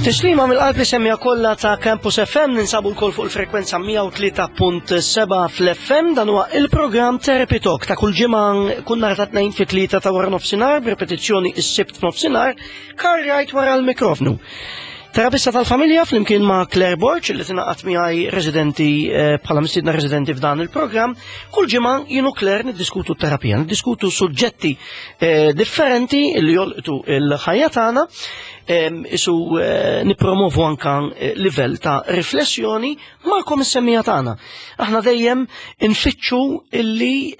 Tislima mill-qalb li semmija kollha ta' Campus FM ninsabu lkoll fuq il-frekwenza 103.7 fl-FM dan huwa il-programm Therapy Talk ta' kull ġimgħa kull nhar ta' tnejn fit-tlieta ta' wara nofsinhar b'repetizzjoni s-sibt f'nofsinhar Karl Wright wara l-mikrofnu. Terapista tal-familja flimkien ma' Claire Borg li tingħaqad miegħi residenti eh, bħala mistiedna residenti f'dan il-programm, kull ġimgħa jien u Claire niddiskutu terapija, niddiskutu suġġetti eh, differenti li jolqtu il-ħajja tagħna, isu eh, nippromovu anka livell ta' riflessjoni magħkom is-semmija tagħna. Aħna dejjem infittxu illi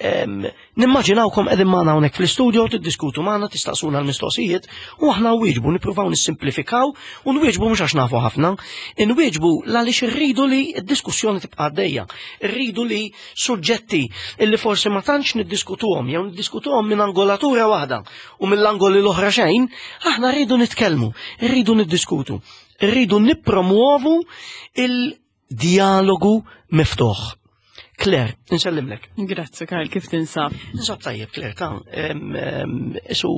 Nimmaġinawkom qegħdin magħna hawnhekk fl-istudio tiddiskutu magħna, tistaqsuna l-mistoqsijiet u aħna nwieġbu, nippruvaw nissimplifikaw u nwieġbu mhux għax nafu ħafna, inwieġbu għaliex irridu li d-diskussjoni tibqa' għaddejja, irridu li suġġetti illi forsi ma tantx niddiskutuhom jew niddiskutuhom minn angolatura waħda u mill-angoli l-oħra xejn, aħna rridu nitkellmu, rridu niddiskutu, rridu nippromuovu il- Dialogu miftuħ. Claire, nsellimlek. Grazzi, Karl, kif tinsab? Ninsab tajjeb, Claire, ta' isu,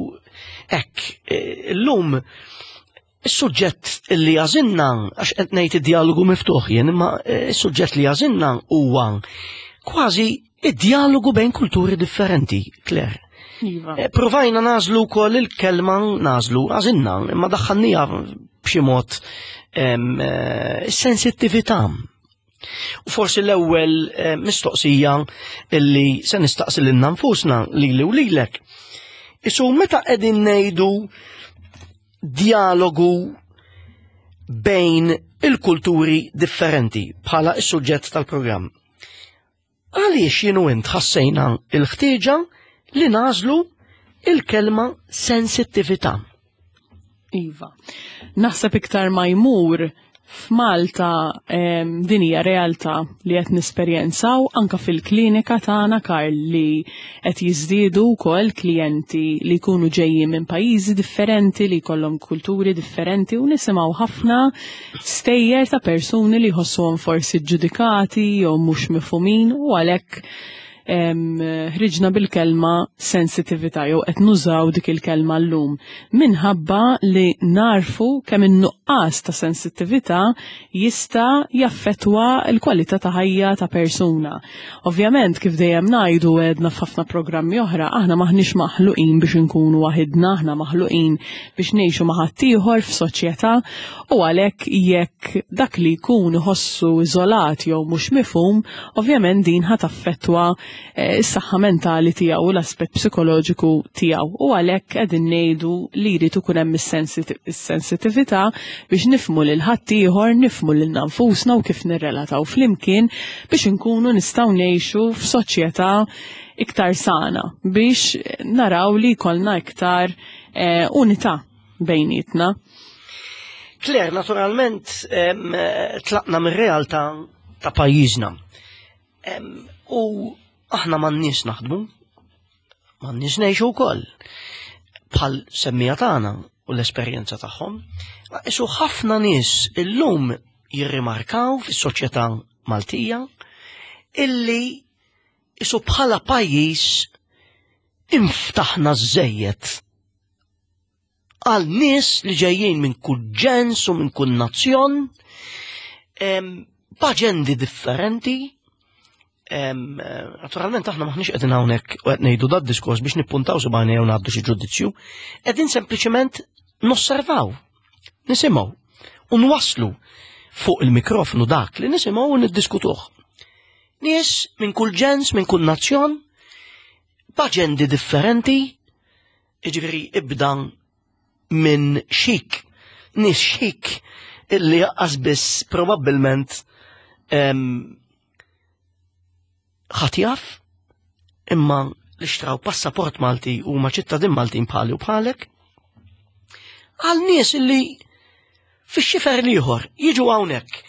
ek, e, l-lum, is-suġġett li għażilna, għax qed ngħid id-dialogu miftuħ jien, imma e, is-suġġett li għażilna huwa kważi id-dialogu bejn kulturi differenti, Claire. Iva. E, provajna nażlu wkoll il-kelma nażlu, għażilna, imma daħħalnija b'xi mod eh, sensittività. U forsi l-ewwel eh, mistoqsija illi se nistaqsi lilna nfusna lili u lilek. Isu meta qegħdin ngħidu dialogu bejn il-kulturi differenti bħala is-suġġett tal-programm. Għaliex jien u int ħassejna l-ħtieġa li nagħżlu il-kelma sensittività? Iva. Naħseb iktar ma jmur f'Malta din hija realtà li qed nesperjenzaw anka fil-klinika tagħna Karl li qed jiżdiedu wkoll klijenti li jkunu ġejjin minn pajjiżi differenti li jkollhom kulturi differenti u nisimgħu ħafna Stejjer ta' persuni li jħossuhom forsi ġġudikati jew mhux mifhumin u għalhekk ħriġna bil-kelma sensitività jew qed nużaw dik il-kelma llum minħabba li narfu kemm in-nuqqas ta' sensittività jista' jaffettwa l-kwalità ta' ħajja ta' persuna. Ovvjament kif dejjem ngħidu għedna f'ħafna programmi oħra, aħna maħniex maħluqin biex inkunu waħidna, aħna maħluqin biex ngħixu ma' ħaddieħor f'soċjetà u għalhekk jekk dak li jkun iħossu iżolat jew mhux mifhum, ovvjament din ħa taffettwa eh, s-saħħa mentali tiegħu u l-aspett psikoloġiku tiegħu. U għalhekk qegħdin ngħidu li jrid ikun hemm is-sensitività biex nifhmu lil ħaddieħor, nifhmu lil nfusna u kif nirrelataw flimkien biex inkunu nistgħu ngħixu f'soċjetà iktar sana biex naraw li jkollna iktar eh, unità bejnietna. Claire, naturalment tlaqna mir-realtà ta' pajjiżna. U aħna m'għandniex naħdmu, m'għandniex ngħixu wkoll bħal semmija tagħna u l-esperjenza tagħhom. Isu ħafna nies illum jirrimarkaw fis-soċjetà Maltija illi isu bħala pajjiż inftaħna żejjed għal nies li ġejjin minn kull ġens u minn kull nazzjon, b'aġendi differenti. Naturalment aħna maħniex qegħdin hawnhekk u qed ngħidu dad diskors biex nippuntaw subgħajna jew ngħaddu xi ġudizzju, qegħdin sempliċement nosservaw, nisimgħu u nwasslu fuq il-mikrofonu dak li nisimgħu u niddiskutuh. Nies minn kull ġens, minn kull nazzjon, b'aġendi differenti, Jiġifieri ibda minn xik, nies xik illi jaqqas biss probabbilment ħadd jaf imma li xtraw passaport Malti u ma ċittadin Maltin bħali u bħalek għal nies illi fix-xifer l-ieħor jiġu hawnhekk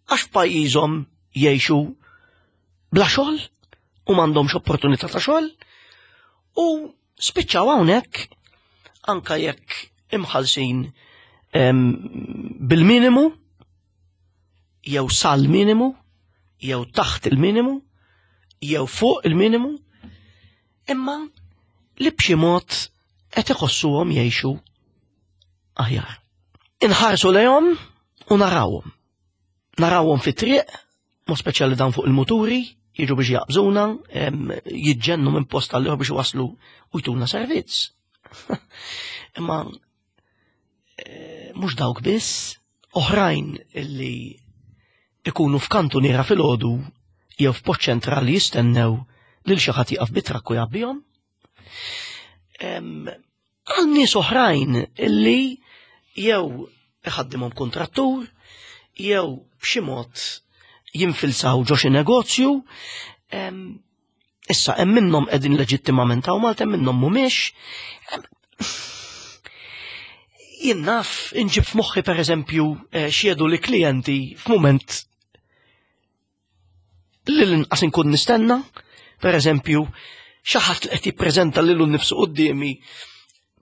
għax f'pajjiżhom jgħixu bla xogħol u m'għandhomx opportunità ta' xogħol u spiċċaw hawnhekk anka jekk imħallsin bil-minimu jew sal-minimu jew taħt il-minimu jew fuq il-minimu imma li b'xi mod qed iħossuhom jgħixu aħjar. Inħarsu lejhom u narawhom. Narawhom fit-triq, mod speċjali dawn fuq il-muturi, jiġu biex jaqbżuna, jiġġennu minn post għal biex waslu u jtuna servizz. Imma eh, mhux dawk biss, oħrajn illi ikunu f'kantuniera filgħodu jew f'post ċentrali jistennew lil xi ħadd jieqaf bit-trakk u jgħabbihom. Għal nies oħrajn illi jew iħaddimhom kontrattur, jew b'xi mod jinfilsaw ġo xi negozju. Issa hemm minnhom qegħdin leġittimament hawn Malta, hemm minnhom mhumiex. Jien naf inġib f'moħħi pereżempju eh, xiedu li klijenti f'mument li l-inqas inkun nistenna, per eżempju, xi ħadd li qed jippreżenta lilu nnifsu quddiemi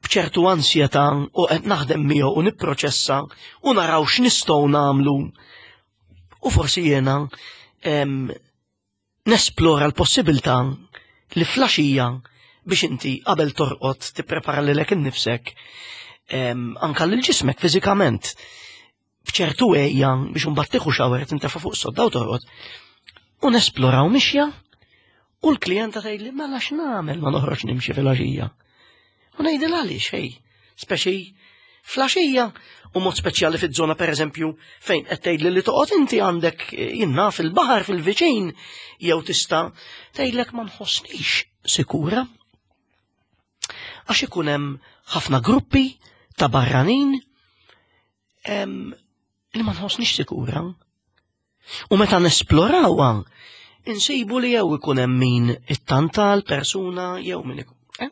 b'ċertu ansjetà u qed naħdem miegħu u nipproċessa u naraw x'nistgħu nagħmlu. U forsi jiena nesplora l-possibilità li flaxija biex inti qabel torqod tipprepara lilek innifsek anka lil ġismek fiżikament b'ċertu għejja biex imbagħad tieħu xawer tintefa' fuq sodda u torqod. U nesploraw mixja u l-klijenta tgħidli mela x'nagħmel ma noħroġ nimxi fil-għaxija. U ngħidilha għaliex ħej, speċi fl-għaxija u mod speċjali fiż-żona pereżempju fejn qed tgħidli li toqgħod inti għandek eh, jinnna fil-baħar fil-viċin jew tista' tgħidlek ma nħossnix sikura. Għax ikun hemm ħafna gruppi ta' barranin li ma nħossnix sikura. U meta nesplorawha, insibu li jew ikun hemm min ittanta l-persuna jew min ikun. Eh?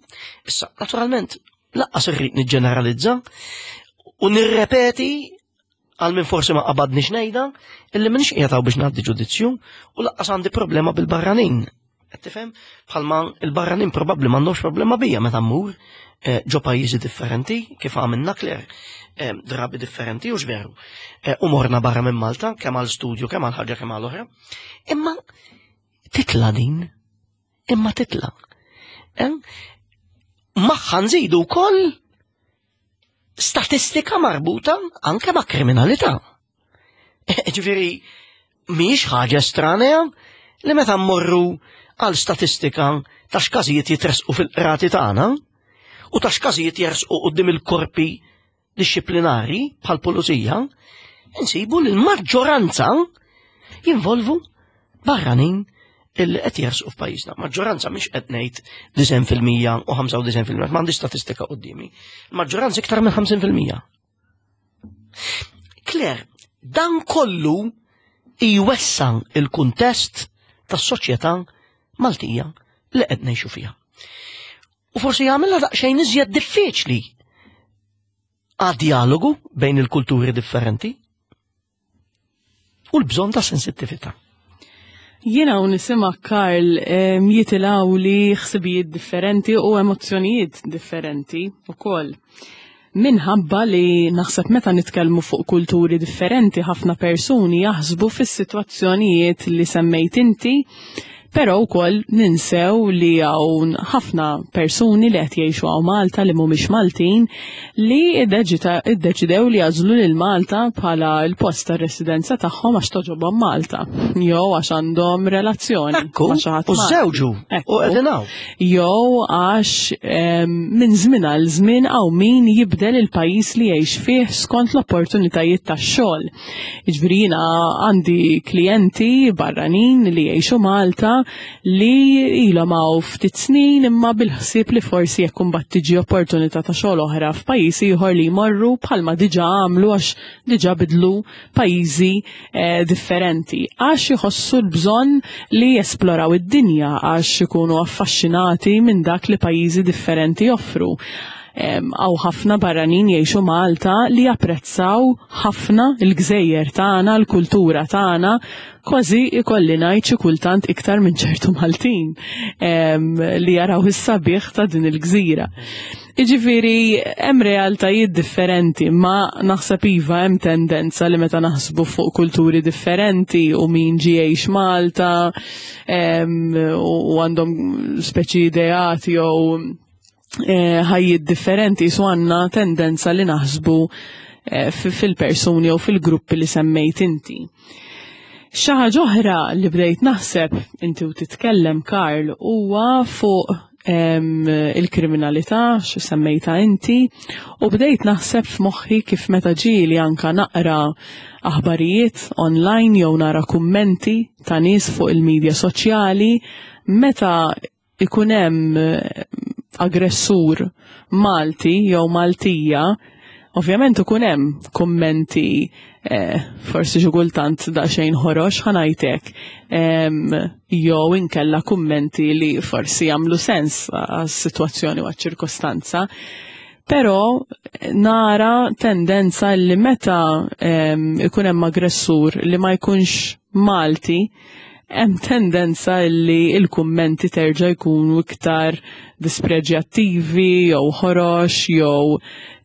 Issa, naturalment, laqqas irrid niġġeneralizza u nirrepeti għal min forsi ma qabadniex ngħidha illi m'iniex qiegħed biex ngħaddi ġudizzju u laqqas għandi problema bil-barranin. Qed tifhem? Bħalma il-barranin probabbli m'għandhomx problema bija meta mmur eh, ġo pajjiżi differenti, kif għamilna Claire, eh, drabi differenti u veru. Eh, u morna barra minn Malta, kemm għal studju, kemm għal ħaġa, kemm għal oħra. Imma titla din, imma titla. Magħha nżidu wkoll statistika marbuta anke ma' kriminalità. Ġifieri mhijiex ħaġa estranea li meta mmorru għal statistika ta' x'każijiet jitresqu fil-qrati tagħna u ta' x'każijiet jersqu quddiem il-korpi dixxiplinari bħal pulizija, insibu li l-maġġoranza jinvolvu barranin illi qed jersqu f'pajjiżna. Maġġoranza mhix qed ngħid 90% u 95%, m'għandix statistika quddiemi. Maġġoranza iktar minn 50%. Claire, dan kollu jwessa il-kuntest tas-soċjetà Maltija li qed ngħixu fiha. U forsi jagħmilha daqsxejn iżjed diffiċli għad-dialogu bejn il-kulturi differenti u l-bżonn ta' sensittività. Jiena u nisima Karl jitilaw li ħsibijiet differenti u emozzjonijiet differenti u koll. Minħabba li naħseb meta nitkellmu fuq kulturi differenti ħafna persuni jaħsbu fis-sitwazzjonijiet li semmejt inti Però wkoll ninsew li hawn ħafna persuni li qed jgħixu hawn Malta li mhumiex Maltin li iddeċidew li jagħżlu lil Malta bħala l-post tar-residenza tagħhom għax toġobhom Malta jew għax għandhom relazzjoni ma' xi ħadd. U żewġu u qegħdin hawn. Jew għax minn żmien għal żmien hawn min jibdel il-pajjiż li jgħix fih skont l-opportunitajiet tax-xogħol. Jiġifieri jiena għandi klijenti barranin li jgħixu Malta li ilhom hawn ftit snin imma bil-ħsieb li forsi jekk imbagħad tiġi opportunità ta' xogħol oħra f'pajjiż ieħor li jmorru bħalma diġà għamlu għax diġà bidlu pajjiżi eh, differenti għax iħossu l-bżonn li jesploraw id-dinja għax ikunu affaxxinati minn dak li pajjiżi differenti joffru. Hawn ħafna barranin jgħixu Malta li japprezzaw ħafna l-gżejjer tagħna, l-kultura tagħna, kważi ikolli ngħid xi kultant iktar minn ċertu Maltin li jaraw is-sabiħ ta' din il-gżira. Jiġifieri hemm realtajiet differenti, ma naħseb iva hemm tendenza li meta naħsbu fuq kulturi differenti u min ġie jgħix Malta u għandhom speċi ideat jew eh, ħajjiet differenti su għandna tendenza li naħsbu eh, fil-persuni jew fil-gruppi li semmejt inti. Xi ħaġa oħra li bdejt naħseb inti u titkellem Karl huwa fuq il-kriminalità xi semmejta inti u bdejt naħseb f'moħħi kif meta ġieli anka naqra aħbarijiet online jew nara kummenti ta' nies fuq il-medja soċjali meta ikun hemm eh, aggressur Malti jew Maltija, ovvjament ikun hemm kummenti eh, forsi xi kultant daqsxejn ħorox ħanajtek jew inkella kummenti li forsi jagħmlu sens għas-sitwazzjoni u għaċ-ċirkostanza. Però nara tendenza li meta ikun hemm aggressur li ma jkunx Malti, hemm tendenza li l-kummenti terġa' jkunu iktar dispreġjattivi jew ħorox jew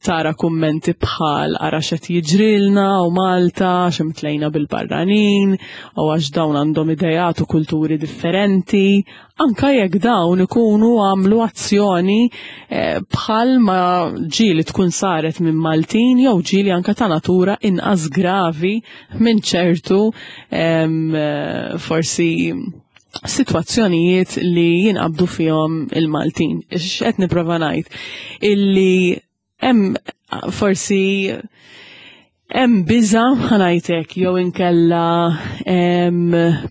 tara kummenti bħal ara x'qed jiġrilna u Malta għax imtlejna bil-barranin u għax dawn għandhom ideat u kulturi differenti, anka jekk dawn ikunu għamlu azzjoni eh, bħal ma ġieli tkun saret minn Maltin jew ġieli anka ta' natura inqas gravi minn ċertu eh, forsi sitwazzjonijiet li jinqabdu fihom il-Maltin. X'qed nipprova ngħid? Illi hemm forsi hemm biża ħanajtek jew inkella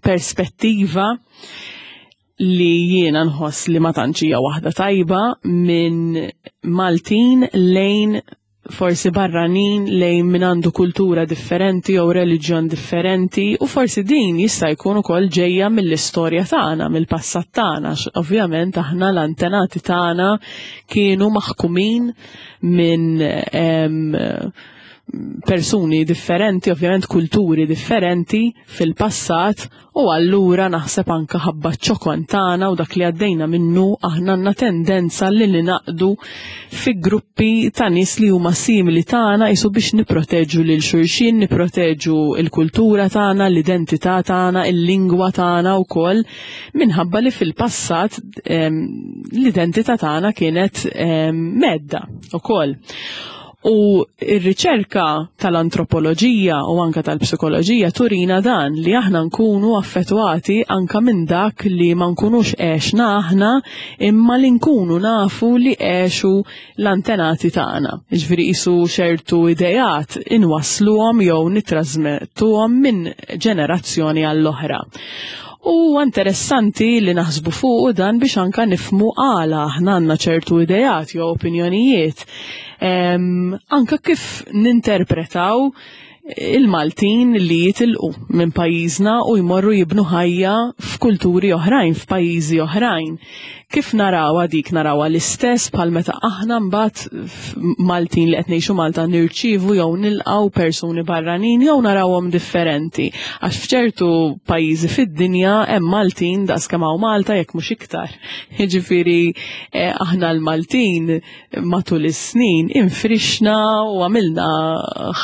perspettiva li jiena nħoss li ma tantx hija waħda tajba minn Maltin lejn forsi barranin lejn min għandu kultura differenti jew reliġjon differenti u forsi din jista' jkun ukoll ġejja mill-istorja tagħna, mill-passat tagħna, ovvjament aħna l-antenati tagħna kienu maħkumin minn persuni differenti, ovvjament kulturi differenti fil-passat u allura naħseb anka ħabba ċokon tagħna u dak li għaddejna minnu aħna għandna tendenza li ninaqdu fi gruppi ta' nies li huma simili tagħna jisu biex nipproteġu lil xulxin, nipproteġu l-kultura tagħna, l-identità tagħna, il-lingwa tagħna wkoll minħabba li fil-passat l-identità tagħna kienet medda ukoll. U r-riċerka tal-antropoloġija u anka tal-psikoloġija turina dan li aħna nkunu affettwati anka minn dak li ma nkunux għexna aħna imma li nkunu nafu li għexu l-antenati tagħna. Ġifieri qisu ċertu ideat inwassluhom jew nittrażmettuhom minn ġenerazzjoni għall-oħra. U interessanti li naħsbu fuq dan biex anka nifmu għala aħna għandna ċertu ideat jew opinjonijiet anka kif ninterpretaw il-Maltin li jitilqu minn pajjiżna u jmorru jibnu ħajja f'kulturi oħrajn, f'pajjiżi oħrajn. Kif narawha dik narawha l-istess bħal meta aħna mbagħad Maltin li qed ngħixu Malta nirċievu jew nilqgħu persuni barranin jew narawhom differenti. Għax f'ċertu pajjiżi fid-dinja hemm Maltin daqs kemm hawn Malta jekk mhux iktar. Jiġifieri eh, aħna l-Maltin matul is-snin infrixna u għamilna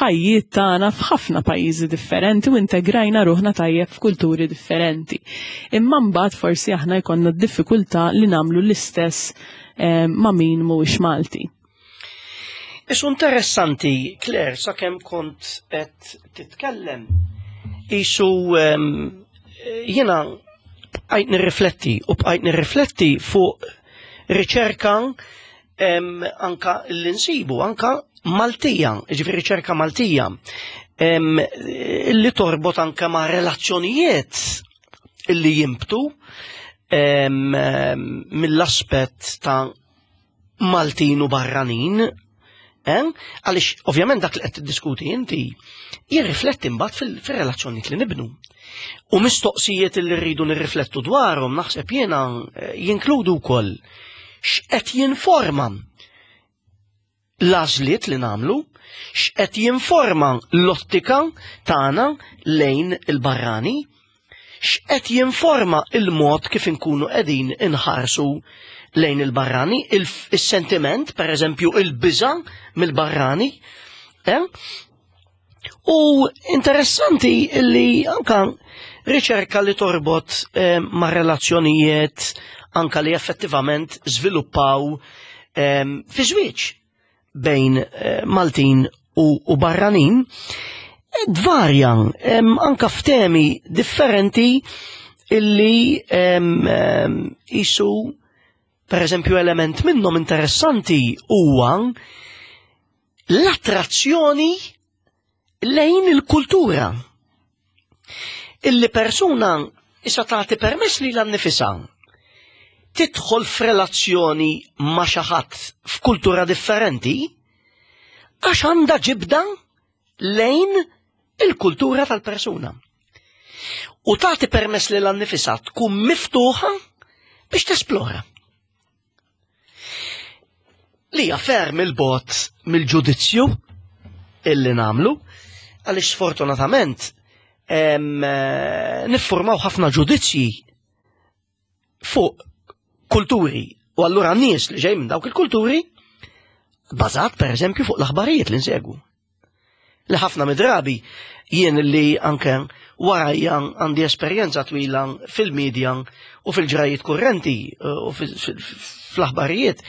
ħajjiet tagħna f'ħafna pajjiżi differenti u integrajna ruħna tajjeb f'kulturi differenti. Imma mbagħad forsi aħna jkollna d-diffikultà li nagħmlu l-istess eh, ma' min mhuwiex Malti. Isu interessanti, Claire, sakemm kont qed titkellem, isu ehm, jiena bqajt nirrifletti u bqajt nirrifletti fuq riċerka anka l-insibu, anka Maltija, ġifieri riċerka Maltija, li torbot anka ma' relazzjonijiet li jimbtu mill-aspett ta' Maltin u barranin, eh? għaliex ovvjament dak li qed tiddiskuti inti jirrifletti mbagħad fir-relazzjonijiet li nibnu. U mistoqsijiet li rridu nirriflettu dwarhom naħseb jiena eh, jinkludu wkoll x'qed jinforma l-għażliet li nagħmlu, x'qed jinforma l-ottika tagħna lejn il-barrani, x'qed jinforma il-mod kif inkunu qegħdin inħarsu lejn il-barrani, il-sentiment, per eżempju, il-biża mill-barrani. Eh? U interessanti li anka riċerka li torbot eh, ma' relazzjonijiet anka li effettivament żviluppaw eh, fi żwieġ bejn eh, Maltin u barranin, tvarja anka f'temi differenti illi jisu per eżempju element minnhom interessanti huwa l-attrazzjoni lejn il-kultura. Illi persuna issa tagħti permess lilha nnifisha tidħol f'relazzjoni ma' xi ħadd f'kultura differenti għax għandha ġibda lejn il-kultura tal-persuna. U tagħti permess lilha nnifisha tkun miftuħa biex tesplora. Li hija ferm il-bot mill-ġudizzju illi namlu, għaliex sfortunatament niffurmaw ħafna ġudizzji fuq kulturi u allura nies li ġej minn dawk il-kulturi bażat per eżempju fuq l-aħbarijiet li nsegwu. Li ħafna midrabi jien li anke warajja għandi esperjenza twila fil-medja u fil-ġrajiet kurrenti eh, u fl-aħbarijiet.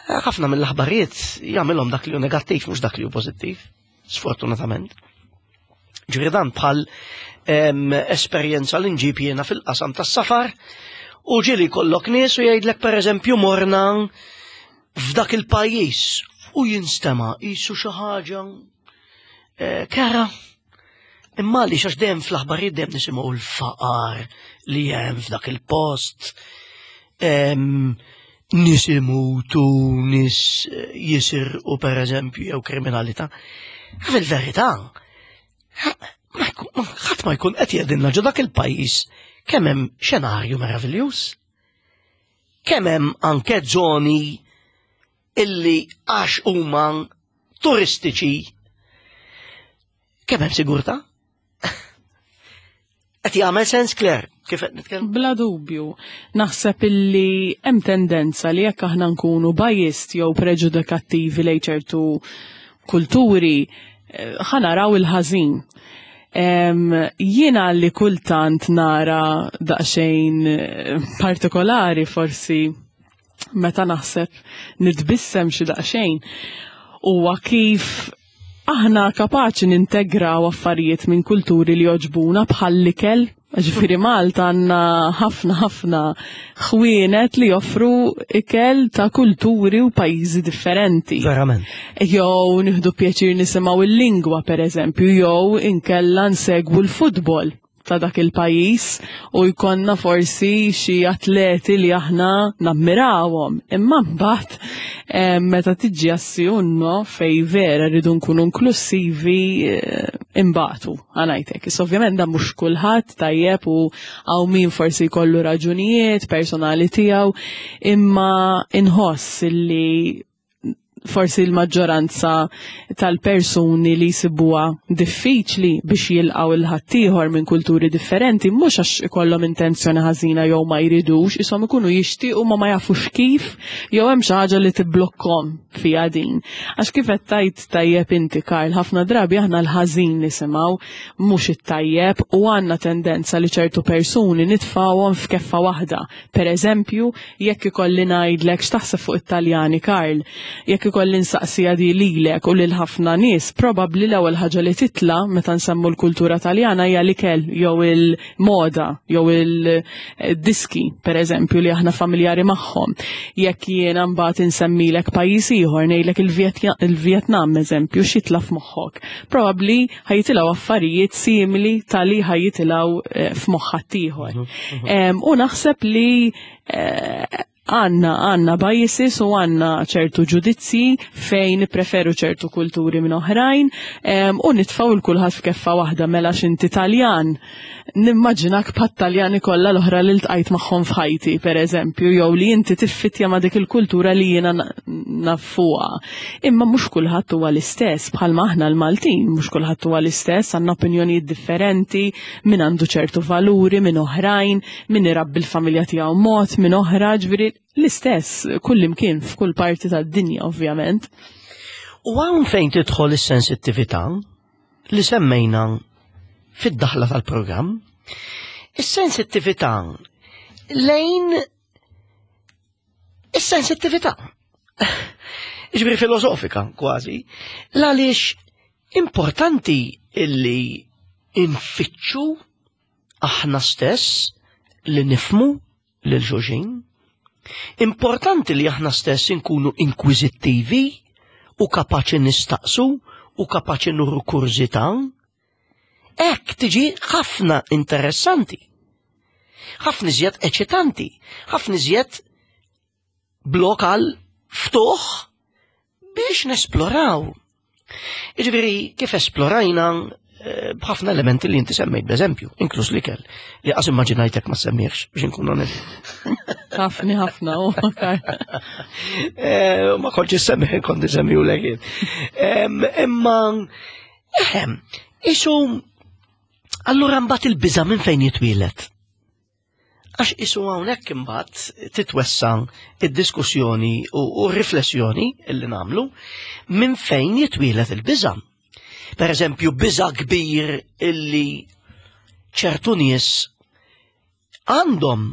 Ħafna mill-aħbarijiet jagħmilhom dak li hu negattiv mhux dak li hu pożittiv, sfortunatament. Ġifieri dan bħal esperjenza li nġib jiena fil-qasam tas-safar u ġieli kollok nies u jgħidlek pereżempju morna f'dak il-pajjiż u jinstema' qisu xi ħaġa eh, kera. Imma li xax dejjem fl-aħbarijiet dejjem nisimgħu l-faqar li hemm f'dak il-post. Nies imutu, nies eh, jisirqu pereżempju jew kriminalità. Fil-verità, ħadd ma jkun qed jgħidilna ġo dak il-pajjiż kemm hemm xenarju meraviljuż. Kemm hemm anke żoni illi għax huma turistiċi kemm hemm sigurtà? Qed jagħmel sens Claire kif qed nitkellem? Bla dubju. Naħseb illi hemm tendenza li jekk aħna nkunu biased jew preġudikattivi lejn ċertu kulturi, eh, ħanaraw il-ħażin. Jiena li kultant nara daqsxejn eh, partikolari forsi meta naħseb nitbissem xi daqsxejn huwa kif aħna kapaċi nintegraw affarijiet minn kulturi li joġbuna bħall-ikel. Ġifieri Malta għandna ħafna ħafna ħwienet li joffru ikel ta' kulturi u pajjiżi differenti. Verament. Jew nieħdu pjaċir nisimgħu il-lingwa pereżempju, jew inkella nsegwu l-futbol ta' dak il-pajjiż u jkollna forsi xi atleti li aħna nammirawhom. Imma mbagħad eh, meta tiġi għas-sjunno fej vera rridu nkunu inklusivi eh, imbagħtu ħanajtek. Issa ovvjament dan mhux kulħadd tajjeb u hawn min forsi jkollu raġunijiet personali tiegħu, imma inħoss li forsi l-maġġoranza tal-persuni li jsibuha diffiċli biex jilqgħu il-ħaddieħor minn kulturi differenti mhux għax ikollhom intenzjoni ħażina jew ma jridux, ishom ikunu jixtiequ ma ma jafux kif jew hemm xi ħaġa li tibblokkhom fiha din. Għax kif qed tgħid tajjeb inti Karl, ħafna drabi aħna l-ħażin nisimgħu mhux it-tajjeb u għandna tendenza li ċertu persuni nitfgħuhom f'keffa waħda. Per eżempju, jekk ikolli ngħidlek x'taħseb fuq it-Taljani Karl, jekk ikolli nsaqsiha di lilek u lil ħafna nies, probabbli l-ewwel ħaġa li titla' meta nsemmu l-kultura Taljana hija l-ikel jew il-moda jew il-diski, per eżempju, li aħna familjari magħhom. Jekk jiena mbagħad insemmilek pajjiż ieħor ngħidlek il-Vjetnam eżempju, x'jitla' f'moħħok? Probabbli ħajitilgħu affarijiet simili tali ħajitilgħu eh, f'moħħ ħaddieħor. Mhm, mhm. U naħseb li eh, għanna għanna biases u għanna ċertu ġudizzji fejn preferu ċertu kulturi minn oħrajn u nitfaw il-kulħadd f'keffa waħda mela x'inti Taljan. Nimmaġinak bħat-Taljani kollha l-oħra li ltqajt magħhom f'ħajti, per eżempju, jew li inti tiffitja ma' dik il-kultura li jiena naf fuqha. Imma mhux kulħadd huwa l-istess, bħalma aħna l-Maltin, mhux kulħadd huwa l-istess, għandna opinjonijiet differenti, min għandu ċertu valuri, min oħrajn, min irabbi l-familja tiegħu mod, min oħra, ġifieri l-istess kullimkien f'kull parti tad-dinja ovvjament. U hawn fejn tidħol is-sensittività li semmejna fid-daħla tal-programm, is-sensittività lejn is-sensittività. Ġifieri filosofika kważi. L-għaliex importanti illi infittxu aħna stess li nifmu lil xulxin. Importanti li aħna stess inkunu inkwiżittivi u kapaċi nistaqsu u kapaċi nuru kurżità. Hekk tiġi ħafna interessanti. Ħafna iżjed eċitanti, ħafna iżjed blok għal ftuħ biex nesploraw. Iġviri, kif esplorajna eh, b'ħafna elementi li inti semmejt b'eżempju, inkluż l-ikel, li qas immaġinajtek ma semmiex biex nkun onest. Ħafni ħafna u eh, Ma kontx semmi kont semmi u lekin. Imma eħem, isu allura mbagħad il-biża' minn fejn jitwielet. Għax isu hawnhekk imbagħad titwessa id-diskussjoni u r-riflessjoni illi nagħmlu minn fejn jitwielet il-biża. Per eżempju, biża kbir illi ċertu nies għandhom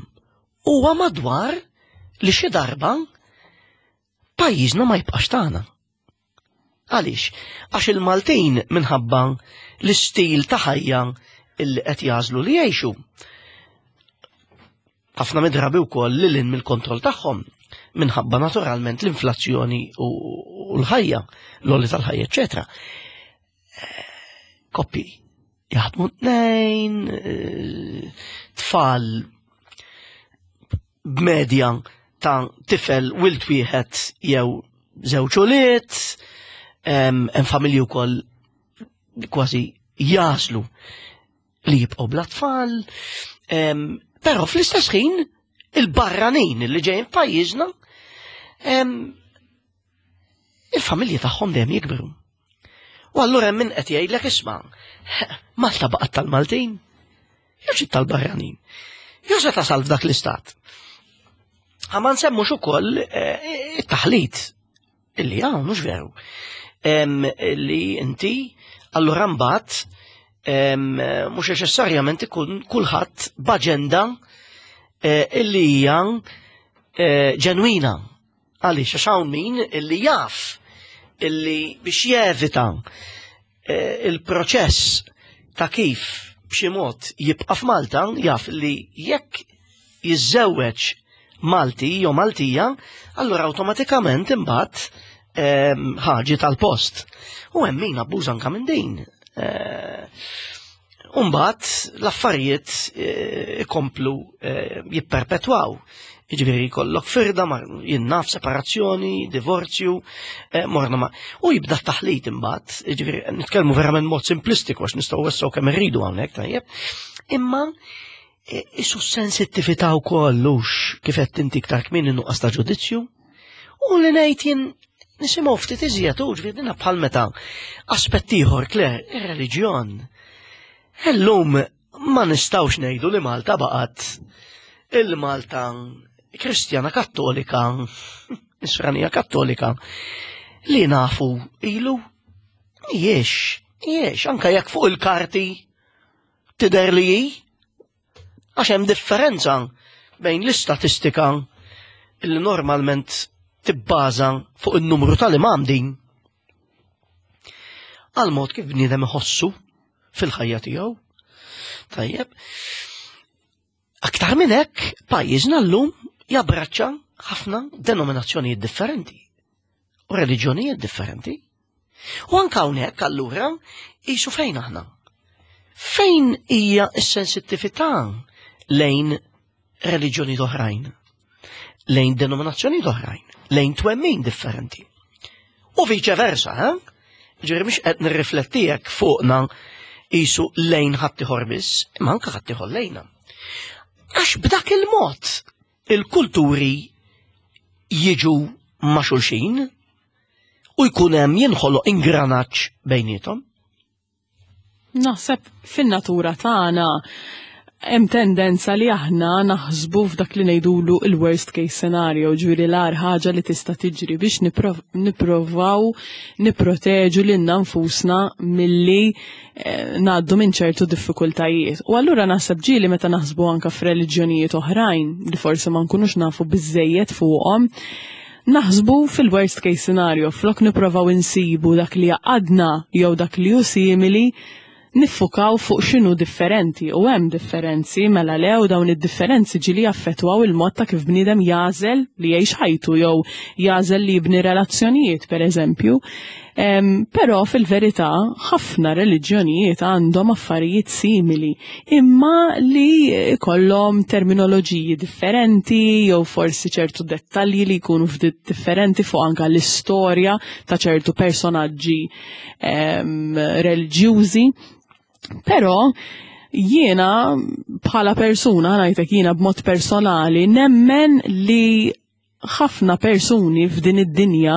huwa madwar li xi darba pajjiżna ma jibqax tagħna. Għaliex? Għax il-Maltin minħabba l-istil ta' ħajja illi qed jażlu li jgħixu. Ħafna midrabi wkoll lil hinn mill-kontroll tagħhom minħabba naturalment l-inflazzjoni u l-ħajja, l-għoli tal-ħajja, eċetera. Koppi jaħdmu tnejn, eh, tfal b'medja ta' tifel wild wieħed jew żewġ ulied, hemm familji wkoll kważi jaslu li jibqgħu bla tfal, però fl-istess ħin il-barranin li ġejjin f'pajjiżna il-familji tagħhom dejjem jikbru. U allura hemm min qed jgħidlek isma' Malta baqgħet tal-Maltin, jew xi tal-barranin. Jew se tasal f'dak l-istat. Ma nsemmux ukoll eh, it-taħlit illi hawn mhux veru. Li inti allura mbagħad mhux neċessarjament ikun kulħadd b'aġenda eh, illi hija eh, ġenwina. Għaliex għax hawn min illi jaf illi biex jevita eh, il-proċess ta' kif b'xi mod jibqa' f'Malta jaf li jekk jiżżewweġ Malti jew Maltija, allura awtomatikament imbagħad ehm, ħaġi tal-post. U hemm min abbuża anka minn din. Eh, Umbat l-affarijiet eh, ikomplu eh, jipperpetwaw. Jiġifieri jkollok firda, jinnaf separazzjoni, divorzju, eh, morna ma. U jibda taħlit imbagħad, jiġifieri nitkellmu verament mod simplistiku għax nistgħu wessaw kemm irridu hawnhekk tajjeb. Imma isu sensittività wkoll hux kif qed inti iktar kmieni nuqqas ta' ġudizzju. U li ngħid jien nisimgħu ftit iżjed u ġifieri dinha bħal meta aspett ieħor Claire, ir-reliġjon. Illum ma nistgħux ngħidu li Malta baqgħet il-Malta Kristjana Kattolika, Nisranija Kattolika, li nafu ilu jiex, jiex, anka jekk fuq il-karti tidher li hi, Għax hemm differenza bejn l-istatistika li normalment tibbaża fuq in-numru tal-imam din għal mod kif bniedem iħossu fil-ħajja tiegħu. Tajjeb. Aktar minn hekk, pajjiżna llum jabbraċċa ħafna denominazzjonijiet differenti u reliġjonijiet differenti. U anke hawnhekk allura qisu fejn aħna? Fejn hija s-sensittività lejn reliġjoni oħrajn, lejn denominazzjoni oħrajn, lejn twemmin differenti. U viċe versa, eh? Ġifieri mhux qed nirrifletti hekk fuqna qisu lejn ħaddieħor biss, imma anke ħaddieħor lejna. Għax b'dak il-mod il-kulturi jiġu ma' xulxin u jkun hemm jinħoloq ingranaġġ bejniethom. Naħseb fin-natura tagħna hemm tendenza li aħna naħsbu f'dak li ngħidulu il-worst case scenario, ġifieri l-agħar ħaġa li tista' tiġri biex nipprovaw nipproteġu lilna nfusna milli eh, ngħaddu minn ċertu diffikultajiet. U allura naħseb ġieli meta naħsbu anka f'reliġjonijiet oħrajn li forsi ma nkunux nafu biżejjed fuqhom, Naħsbu fil-worst case scenario, flok nipprovaw insibu dak li jgħaqqadna jew dak li hu simili, niffukaw fuq x'inhu differenti u hemm differenzi mela le u dawn id-differenzi ġieli jaffettwaw il-mod ta' kif bniedem jagħżel li jgħix ħajtu jew jagħżel li jibni relazzjonijiet pereżempju. Però fil-verità ħafna reliġjonijiet għandhom affarijiet simili imma li kollhom terminoloġiji differenti jew forsi ċertu dettalji li jkunu ftit differenti fuq anka l-istorja ta' ċertu personaġġi reliġjużi. Però jiena bħala persuna, ngħidlek jiena b'mod personali, nemmen li ħafna persuni f'din id-dinja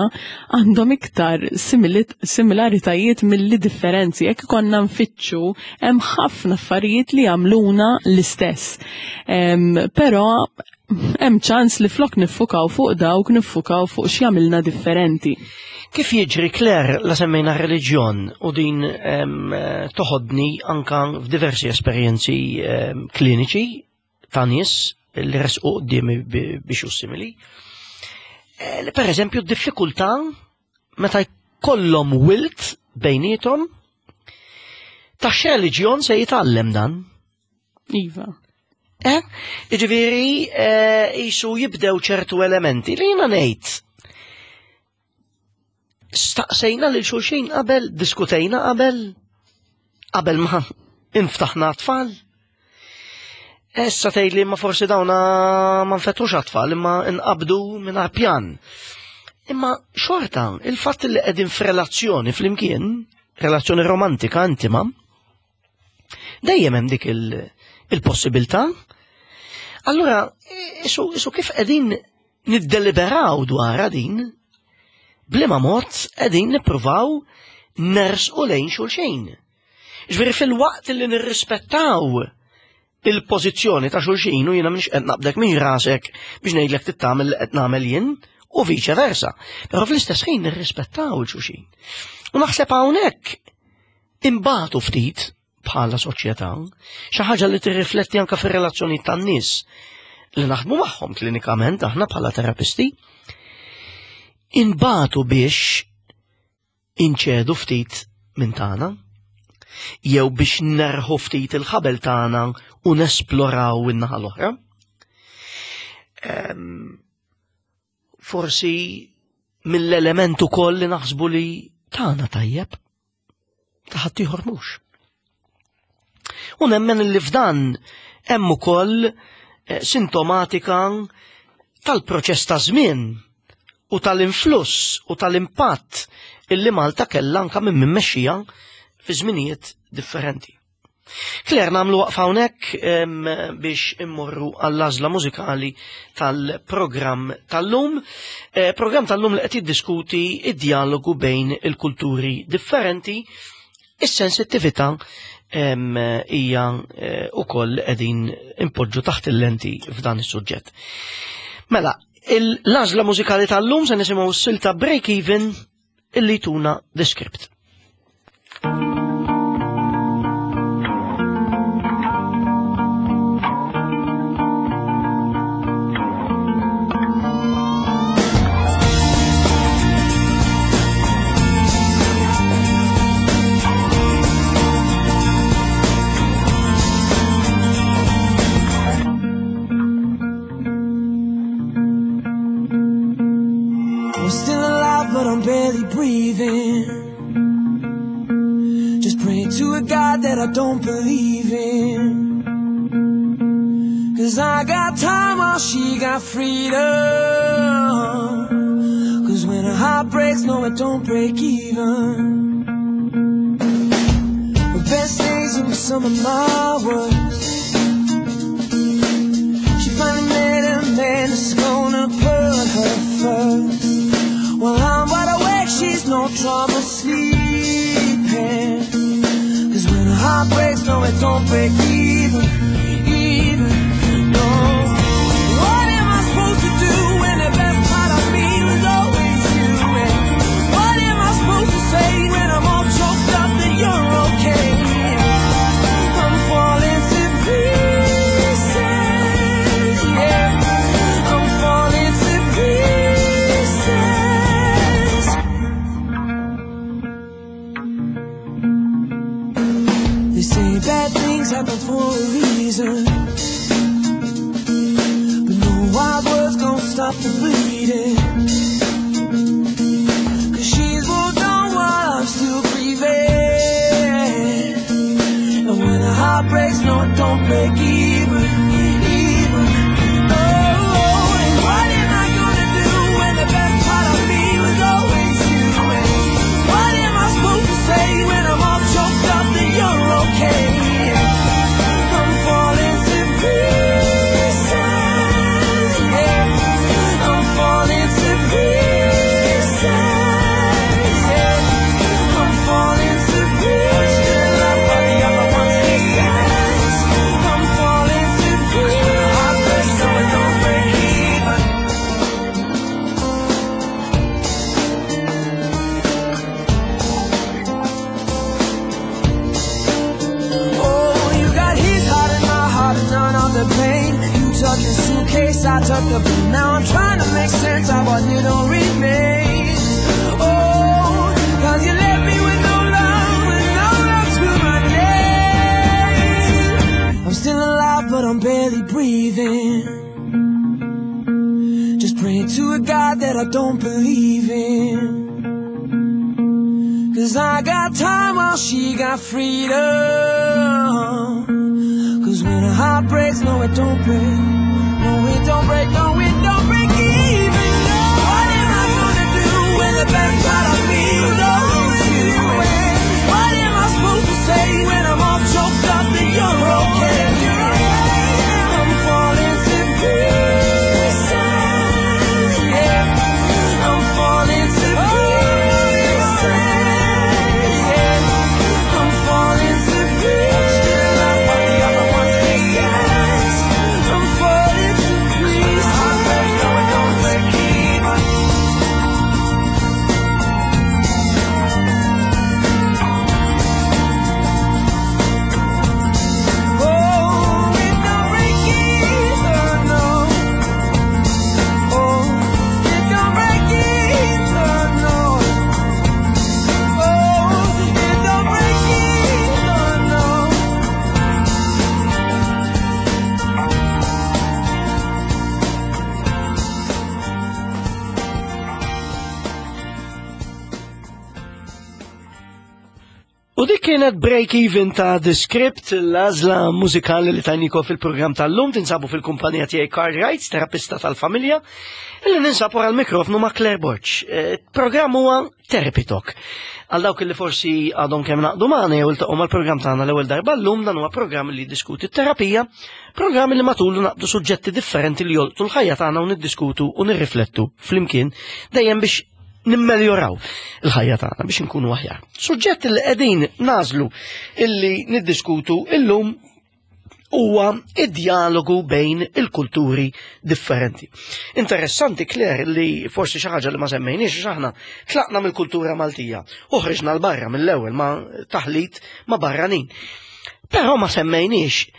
għandhom iktar similaritajiet milli differenzi. Jekk konna nfittxu, hemm ħafna affarijiet li jagħmluna l-istess. Però hemm ċans li flok niffukaw fuq dawk, niffukaw fuq x'jagħmilna differenti. Kif jiġri, Claire, la semmejna reliġjon u din toħodni anka f'diversi esperjenzi kliniċi ta' nies li resqu quddiemi biex hu simili. Li per eżempju d-diffikultà meta jkollhom wilt bejniethom ta' x'reliġjon se jitgħallem dan. Iva. Jiġifieri jisu jibdew ċertu elementi li jiena ngħid. Staqsejna lil xulxin qabel, diskutejna qabel, qabel ma inftaħna tfal. Issa tgħidli ma forsi dawna ma nfettux għat-tfal imma nqabdu mingħajr pjan. Imma xorta, il-fatt li qegħdin f'relazzjoni flimkien, relazzjoni romantika intima, dejjem hemm dik il-possibilità. Allura, isu kif qegħdin niddeliberaw dwarha din, b'liema mod qegħdin nippruvaw nersqu lejn xulxin. Ġifieri fil-waqt li nirrispettaw il-pożizzjoni ta' xulxin u jiena mhix qed naqbdek minn rasek biex ngħidlek tittamel li qed nagħmel jien u viċe versa. Però fl-istess ħin nirrispettaw il-xulxin. U naħseb hawnhekk imbagħtu ftit bħala soċjetà, xi ħaġa li tirrifletti anke fir-relazzjoni tan-nies li naħdmu magħhom klinikament aħna bħala terapisti, inbatu biex inċedu ftit minn tagħna, jew biex nerħu ftit il-ħabel tagħna u nesploraw in-naħa l-oħra. Forsi mill-element ukoll li naħsbu li tagħna tajjeb, ta' ħaddieħor mhux. U nemmen li f'dan hemm ukoll sintomatika tal-proċess ta' żmien u tal-influss u tal-impatt illi Malta kellha anka minn mexxija fi żminijiet differenti. Claire, nagħmlu waqfa hawnhekk biex immorru għall-għażla mużikali tal-programm tal-lum. Programm tal-lum li qed jiddiskuti id-dialogu bejn il-kulturi differenti, is-sensittività hija ukoll qegħdin impoġġu taħt il-lenti f'dan is-suġġett. Mela, l-għażla mużikali tal-lum se nisimgħu s-silta Break Even illi tuna The Script. I'm still alive, but I'm barely breathing. Just praying to a God that I don't believe in. Because I got time while she got freedom. Because when a heart breaks, no, it don't break even. The best days were some of my worst. She finally met a man that's going to put her first. Well, I'm wide awake, she's no trouble sleeping. Because when a heart breaks, no, it don't break even, even, no. What am I supposed to do when the best part of me was always you? And what am I supposed to say when I'm all choked up that you're okay? I'm falling to pieces, yeah. I'm falling to pieces. stop the bleeding. Cause she's moved on while I'm still grieving. And when a heart breaks, no, it don't break even, even. Oh, and what am I gonna do when the best part of me was always you? And what am I supposed to say when I'm all choked up that you're okay? I'm falling to pieces. Yeah. I'm falling to pieces. Yeah. I'm falling to pieces. I'm falling to pieces. So it don't break even. Oh, you got his heart and my heart and none of the pain. You took your suitcase, I took the blame. Now I'm trying to make sense of what little remains. Oh, cause you left me with no love, with no love to my name. I'm still alive, but I'm barely breathing. Just praying to a God that I don't believe in. Cause I got time while she got freedom. Cause when a heart breaks, no, it don't break. No, it don't break, no, it don't break even. What am I gonna do when the best part of me was always you? And what am I supposed to say when I'm all choked up that you're okay? I'm falling to pieces. Yeah. I'm falling to pieces. Yeah. I'm falling to pieces. I'm falling to pieces. Oh, it don't break either, no. Oh, it don't break either, no. Oh, it don't break either, no. U dik kienet break even ta' The Script, l-għażla mużikali li tajnikom fil-programm tal-lum, tinsabu fil-kumpanija tiegħi Carl Wright, terapista tal-familja, illi ninsab wara l-mikrofnu ma' Claire Borg. Programm huwa Therapy Talk. Għal dawk li forsi għadhom kemm naqdu magħna jew iltaqgħu mal-programm tagħna l-ewwel darba llum, dan huwa programm li jiddiskuti t-terapija, programm li matulu naqbdu suġġetti differenti li jolqtu l-ħajja tagħna u niddiskutu u nirriflettu flimkien dejjem biex nimmeljoraw il-ħajja tagħna biex inkunu aħjar. Suġġett li qegħdin nażlu illi niddiskutu illum huwa id-dialogu bejn il-kulturi differenti. Interessanti, Claire, li forsi xi ħaġa li ma semmejniex, għax aħna tlaqna mill-kultura Maltija u ħriġna 'l barra mill-ewwel ma' taħlit ma' barranin. Però ma semmejniex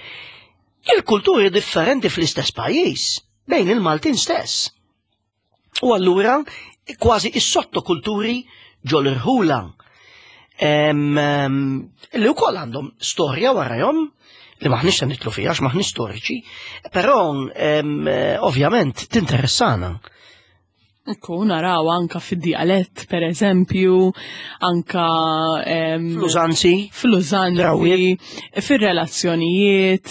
il-kulturi differenti fl-istess pajjiż bejn il-Maltin stess. U allura kważi is-sottokulturi ġol-irħula li wkoll għandhom storja warajhom li maħniex se nidħlu fiha għax maħniex storiċi, però ovvjament tinteressana. Ekku, naraw anka fid-dialett, per eżempju, anka Fl-użanzi. Fl-użanzi, Drawiet. fir-relazzjonijiet,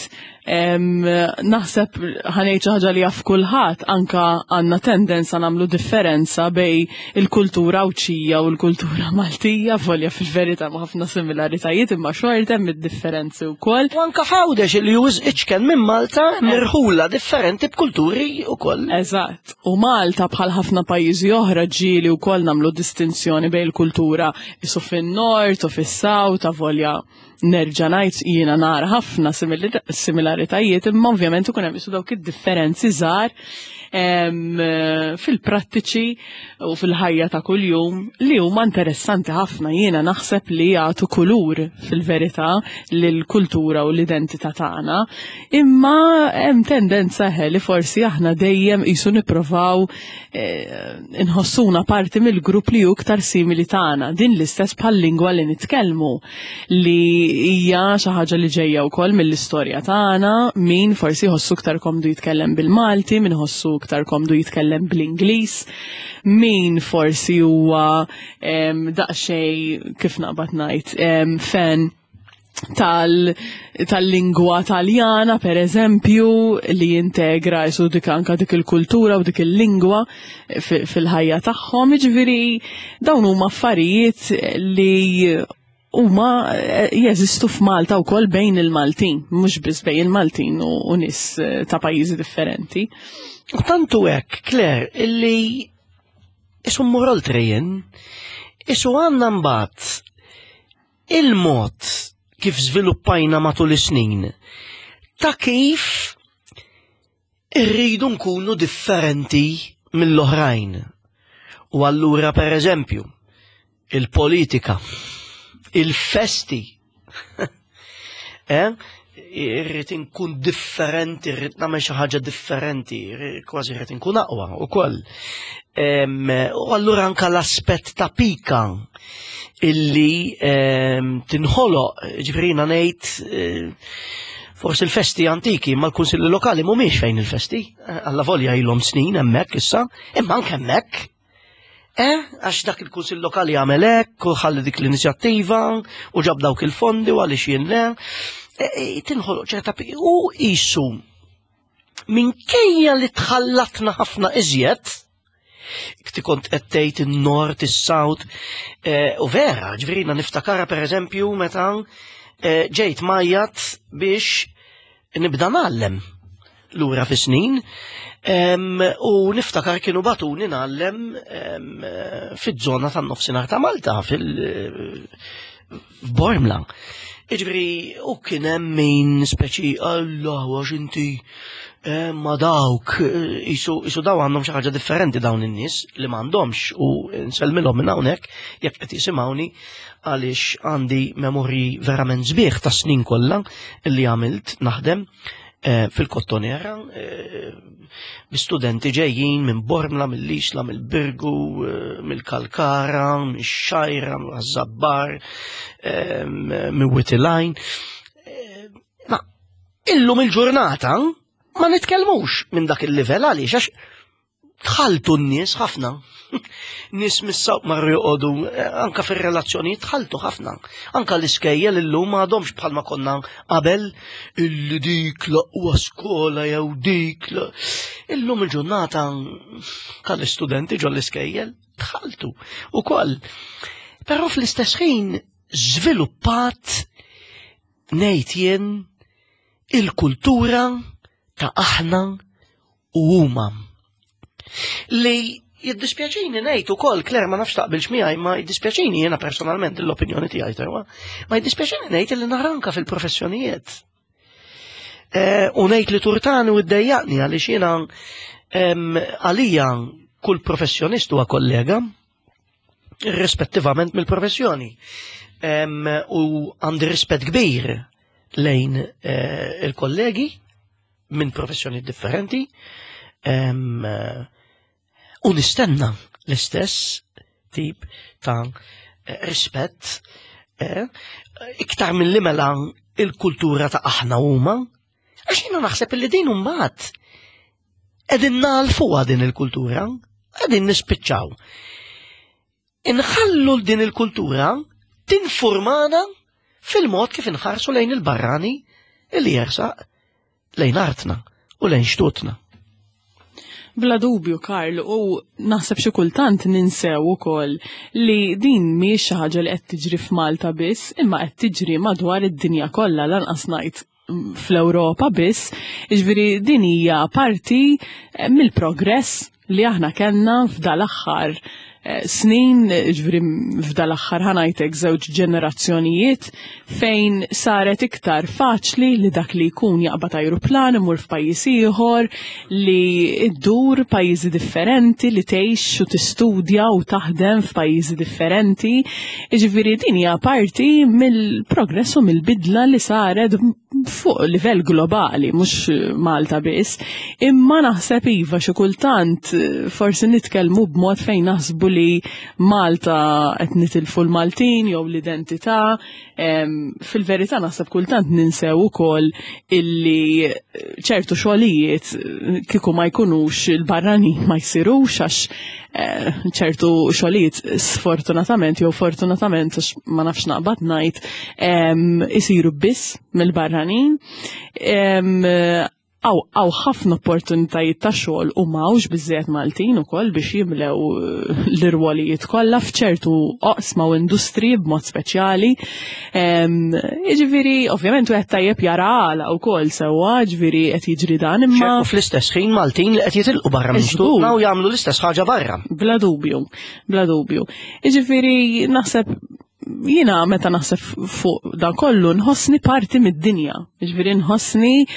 naħseb ħa ngħid xi ħaġa li jaf kulħadd, anka għandna tendenza nagħmlu differenza bejn il-kultura Għawdxija u l-kultura Maltija, volja fil-verità ma ħafna similaritajiet imma xorta hemm id-differenzi wkoll. U anka f'Għawdex li hu iċken minn Malta mirħula differenti b'kulturi wkoll. Eżatt. U Malta bħal ħafna pajjiżi oħra ġieli wkoll nagħmlu distinzjoni bejn il-kultura isu fin-nord u fis-south, volja nerġa' ngħid jiena nara ħafna similaritajiet, imma ovvjament ikun hemm isu dawk id-differenzi żgħar fil-prattiċi u fil-ħajja ta' kuljum li huma interessanti ħafna. Jiena naħseb li jagħtu kulur fil-verità lill-kultura u l-identità tagħna, imma hemm tendenza li forsi aħna dejjem qisu nipprovaw inħossuna parti mill-grupp li hu iktar simili tagħna. Din l-istess bħal-lingwa li nitkellmu li hija xi ħaġa li ġejja wkoll mill-istorja tagħna, min forsi jħossu iktar komdu jitkellem bil-Malti, min ħossu iktar komdu jitkellem bl-Ingliż, min forsi huwa daqsxejn kif naqbad ngħid fan tal-lingwa taljana per eżempju li jintegra jisu dik anka dik il-kultura u dik il-lingwa fil-ħajja tagħhom, jiġifieri dawn huma affarijiet li huma eh, jeżistu f'Malta wkoll bejn il-Maltin, mhux biss bejn il-Maltin u nies eh, ta' pajjiżi differenti. U tantu hekk, Claire, illi isu mmur oltre jien, isu għandna mbagħad il-mod kif żviluppajna matul is-snin ta' kif irridu nkunu differenti mill-oħrajn. U allura per eżempju, il-politika, il-festi, eh? irrid inkun differenti, irrid nagħmel xi ħaġa differenti, kważi irrid inkun aqwa wkoll. U allura anka l-aspett ta' pika illi tinħoloq, ġifieri ngħid eh, forsi l-festi antiki, ma l-kunsilli lokali mhumiex fejn il-festi, eh, alla volja ilhom snin hemmhekk issa, imma anke hemmhekk Eh, għax dak il-kunsill lokali għamel hekk, u ħalli dik l-inizjattiva, u ġab dawk il-fondi u għaliex jien le. Eh, eh, tinħoloq ċerta u isu minkejja li tħallatna ħafna iżjed, kti kont qed tgħid in-nord, is-south, eh, u vera, ġifieri niftakara pereżempju meta ġejt majjat biex nibda ngħallem lura fi snin u niftakar kienu batuni ngħallem fiż-żona tan-nofsinhar ta' Malta fil-Bormla. Iġbri, u kien hemm min speċi Allah għax inti eh, ma dawk, eh, isu daw għandhom xi ħaġa differenti dawn in-nies li m'għandhomx u nsellmilhom minn hawnhekk jekk qed jisimgħuni għaliex għandi memorji verament sbieħ ta' snin kollha li għamilt naħdem eh, fil-Kottonera eh, bi studenti ġejjin minn Bormla, mill-Isla, mill-Birgu, eh, mill-Kalkara, mill-Xajra, mill-Żabbar, minn Witilajn. Ma illum il-ġurnata ma nitkellmux minn dak il-livell għaliex għax Tħalltu n-nies ħafna. Nies mis-sawq marru joqogħdu eh, anka fir-relazzjonijiet tħalltu ħafna. Anka l-iskejjel illum m'għadhomx bħalma konna qabel illi dik l-aqwa skola jew dik. Illum il-ġurnata kal-istudenti ġol l-iskejjel tħalltu ukoll. Però fl-istess ħin żviluppat ngħid jien il-kultura ta' aħna u huma. Li jiddispjaċini ngħid ukoll Claire ma nafx taqbilx miegħi ma jiddispjaċini jiena personalment l-opinjoni tiegħi sewa, ma jiddispjaċini ngħid li naranka fil-professjonijiet. Eh, u ngħid li turtani u ddejjaqni għaliex jiena għalija kull professjonist huwa kollega, irrispettivament mill-professjoni. U għandi rispett kbir lejn eh, il-kollegi minn professjoni differenti u nistenna l-istess tip ta' rispett eh, iktar minn li mela il-kultura ta' aħna huma għax jiena naħseb li din mbagħad qegħdin nagħlfuha din il-kultura, qegħdin nispiċċaw. Inħallu din il-kultura tinformana fil-mod kif inħarsu lejn il-barrani illi jersaq lejn artna u lejn xtutna. Bla dubju, Karl, u naħseb xi kultant ninsew ukoll li din mhijiex xi ħaġa li qed tiġri f'Malta biss, imma qed tiġri madwar id-dinja kollha lanqas ngħid fl-Ewropa biss, jiġifieri din hija parti eh, mill-progress li aħna kellna f'dal-aħħar eh, snin, ġviri f'dal-aħħar ħanajtek żewġ ġenerazzjonijiet fejn saret iktar faċli li dak li jkun jaqbad ajruplan imur f'pajjiż ieħor, li ddur pajjiżi differenti, li tgħix u tistudja u taħdem f'pajjiżi differenti. Jiġifieri din hija parti mill-progress u mill-bidla li saret fuq livell globali, mhux Malta biss. Imma naħseb iva xi kultant forsi nitkellmu b'mod fejn naħsbu li li Malta qed nitilfu l-Maltin jew l-identità. Fil-verità naħseb kultant ninsew ukoll illi ċertu xogħlijiet kieku ma jkunux il-barranin ma jsirux, għax ċertu xogħlijiet sfortunatament jew fortunatament, għax ma nafx naqbad ngħid, isiru biss mill-barranin. Hawn ħafna opportunitajiet ta' xogħol u m'hawnx biżejjed Maltin ukoll biex jimlew l-irwolijiet kollha f'ċertu oqsma u industriji b'mod speċjali. Jiġifieri, ovvjament wieħed tajjeb jara għala wkoll sewwa, ġifieri qed jiġri dan, imma U fl-istess ħin Maltin li qed jitilqu barra minn xtutna u jagħmlu l-istess ħaġa barra. Bla dubju, bla dubju. Jiġifieri naħseb jiena meta naħseb fuq dan kollu nħossni parti mid-dinja. Ġifieri nħossni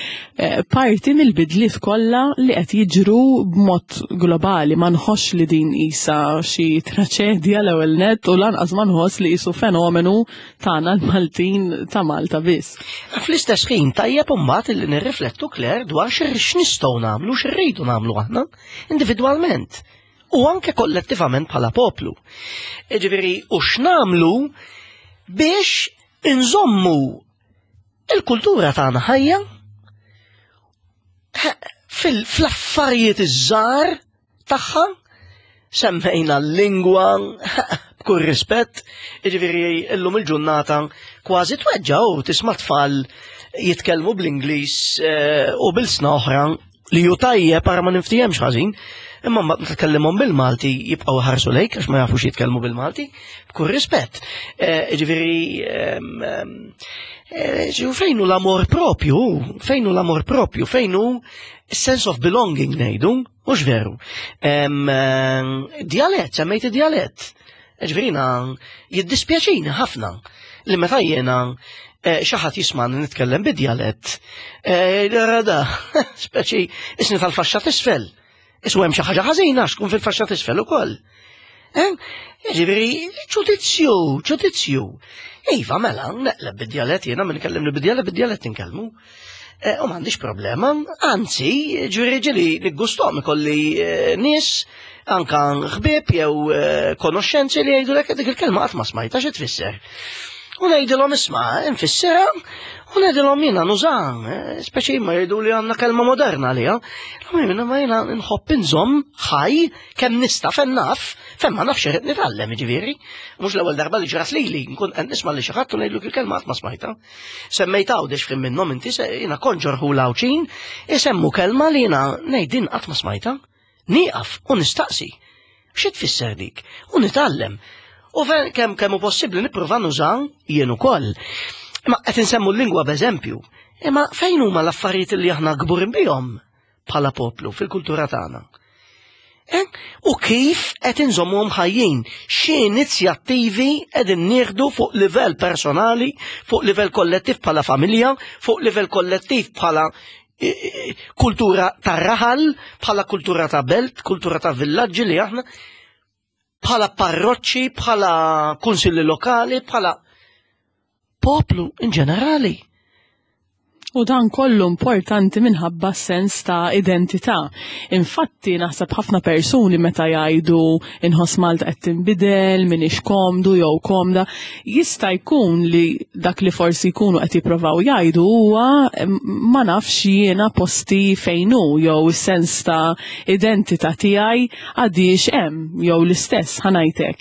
parti mill-bidliet kollha li qed jiġru b'mod globali. Ma nħossx li din isa xi traċedja l-ewwel net u lanqas ma nħoss li qisu fenomenu tagħna l-Maltin ta' Malta biss. Fl-istess ħin tajjeb imbagħad li nirriflettu, Claire, dwar x'nistgħu nagħmlu, x'irridu nagħmlu aħna individwalment u anke kollettivament bħala poplu. Ġifieri, u x'nagħmlu biex inżommu il-kultura tagħna ħajja fl-affarijiet iż-żgħar tagħha. Semmejna l-lingwa, b'kull rispett, ġifieri illum il-ġurnata kważi tweġġa' u tisma' tfal jitkellmu bl-Ingliż u b'ilsna oħra, li ju tajjeb para ma niftihemx ħażin, imma mbagħad meta tkellimhom bil-Malti jibqgħu ħarsu lejk għax ma jafux jitkellmu bil-Malti, b'kull rispett. Ġifieri fejn hu l-amor propju, fejn hu l-amor propju, fejn hu sense of belonging ngħidu, mhux veru? Djalett, semmejt id-djalett. Ġifieri jiddispjaċini ħafna li meta jiena xi ħadd jismani nitkellem bid-djalett, da, speċi isni tal-faxxa t'isfel. Isu hemm xi ħaġa ħażina x'kun fil-faxxa t'isfel ukoll. Ġifieri, ġudizzju, ġudizzju. Iva, mela, neqleb bid-djalett jiena min kellimni bid-djalett, bid-djalett inkellmu. U m'għandix problema, anzi, ġifieri ġieli niggustom ikolli nies anka ħbieb jew konoxxenzi li jgħidu lek dik il-kelma qatt ma smajta, xi tfisser. U ngħidilhom isma' infissirha u ngħidilhom jiena nuża, speċi ma jgħidu li għandna kelma moderna għaliha. Jiena ma jiena nħobb inżomm ħaj kemm nista' fejn naf, fejn ma nafx irrid nitgħallem, jiġifieri. Mhux l-ewwel darba li ġrat lili, nkun qed nisma' li xi ħadd u ngħidlu il-kelma qatt ma smajta. Semmejt Għawdex f'ħin minnhom inti, jiena konġor hu l-Għawdxin, isemmu kelma li jiena ngħid din qatt ma smajta. Nieqaf u nistaqsi. Xi tfisser dik? U nitgħallem. U kemm hu possibbli nipprova nuża jien ukoll. Imma qed insemmu l-lingwa b'eżempju. Imma fejn huma l-affarijiet li aħna kburin bihom bħala poplu fil-kultura tagħna? U kif qed inżommuhom ħajjin? Xi inizjattivi qegħdin nieħdu fuq livell personali, fuq livell kollettiv bħala familja, fuq livell kollettiv bħala kultura ta' raħal, bħala kultura ta' belt, kultura ta' villaġġi li aħna, bħala parroċċi, bħala kunsilli lokali, bħala poplu in ġenerali? U dan kollu importanti minħabba sens ta' identità. Infatti naħseb ħafna persuni meta jgħidu inħoss Malta qed tinbidel, m'iniex komdu jew komda, jista' jkun li dak li forsi jkunu qed jippruvaw jgħidu huwa ma nafx jiena posti fejn hu jew is-sens ta' identità tiegħi għadix hemm jew l-istess, ħa ngħidlek.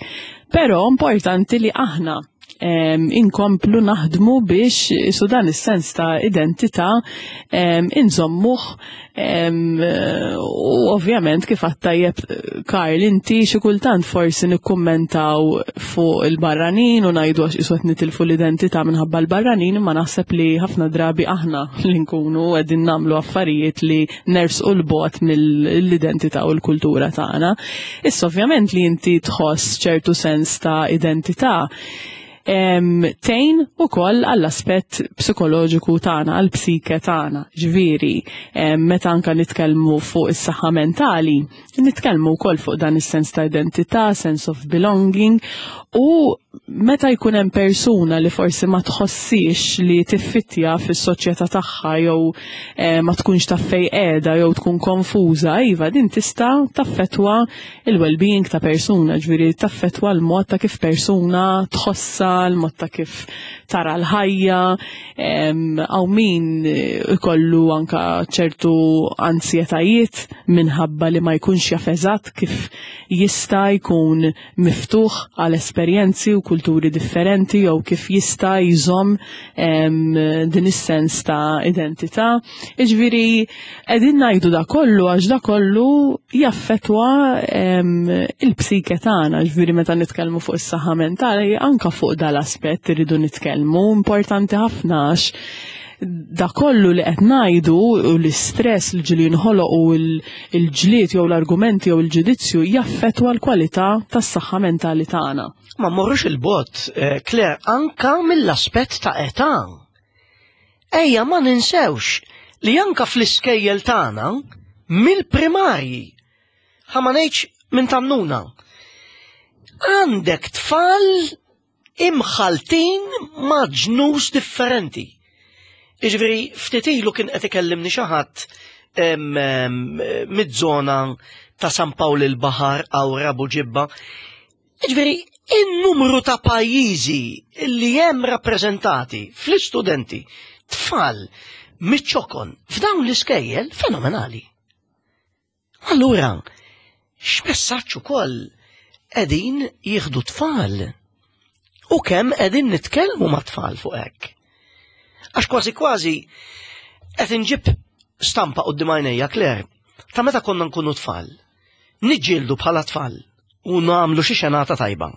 Però importanti li aħna inkomplu naħdmu biex su dan is-sens ta' identità inżommuh u ovvjament kif tajjeb, Karl, inti xi kultant forsi nikkummentaw fuq il-barranin u ngħidu għax qisu qed nitilfu l-identità minħabba l-barranin, imma naħseb li ħafna drabi aħna li nkunu qegħdin nagħmlu affarijiet li nersqu 'l bogħod mill-identità u l-kultura tagħna. Issa ovvjament li inti tħoss ċertu sens ta' identità tgħin ukoll għall-aspett psikoloġiku tagħna, għall-psike tagħna. Ġifieri, meta anka nitkellmu fuq is-saħħa mentali, nitkellmu wkoll fuq dan is-sens ta' identità, sense of belonging u Meta jkun hemm persuna li forsi ma tħossix li tiffittja fis-soċjetà tagħha jew eh, ma tkunx taf fejn qiegħda jew tkun konfuża, iva din tista' taffettwa il-well-being ta' persuna, ġifieri taffettwa l-mod ta' kif persuna tħossha, l-mod ta' kif tara l-ħajja, hawn min ikollu anka ċertu ansjetajiet minħabba li ma jkunx jaf eżatt kif jista' jkun miftuħ għal esperjenzi u kulturi differenti jew kif jista' jżomm din is-sens ta' identità. Iġviri, qegħdin ngħidu da kollu għax da kollu jaffetwa il-psike tagħna, ġifieri meta nitkellmu fuq is-saħħa mentali anka fuq dal-aspett irridu nitkellmu, importanti ħafna għax da kollu li qed ngħidu u l-istress li ġieli jinħoloq u l-ġlied jew l-argumenti jew il-ġudizzju jaffettwa l-kwalità tas-saħħa mentali tagħna. Ma mmorrux il-bot, eh, Claire, anka mill-aspett ta' età. Ejja ma ninsewx li anka fl-iskejjel tagħna mill-primarji ħa ma ngħidx minn tannuna. Għandek tfal imħaltin ma' ġnus differenti. Iġveri, ftit ilu kien qed ikellimni xi ħadd mid-żona ta' San Pawl il-Baħar Awra Buġibba. Iġveri, in-numru ta' pajjiżi li hemm rappreżentati fl-istudenti tfal miċ-ċokon f'dawn l-iskejjel fenomenali. Allura, x'messaġġ ukoll qegħdin jieħdu tfal? U kemm qegħdin nitkellmu ma' tfal fuq hekk? Għax kważi kważi qed inġib stampa quddiem għajnejja Claire ta' meta konna nkunu tfal. Niġġieldu bħala tfal u nagħmlu xi xenata tajba.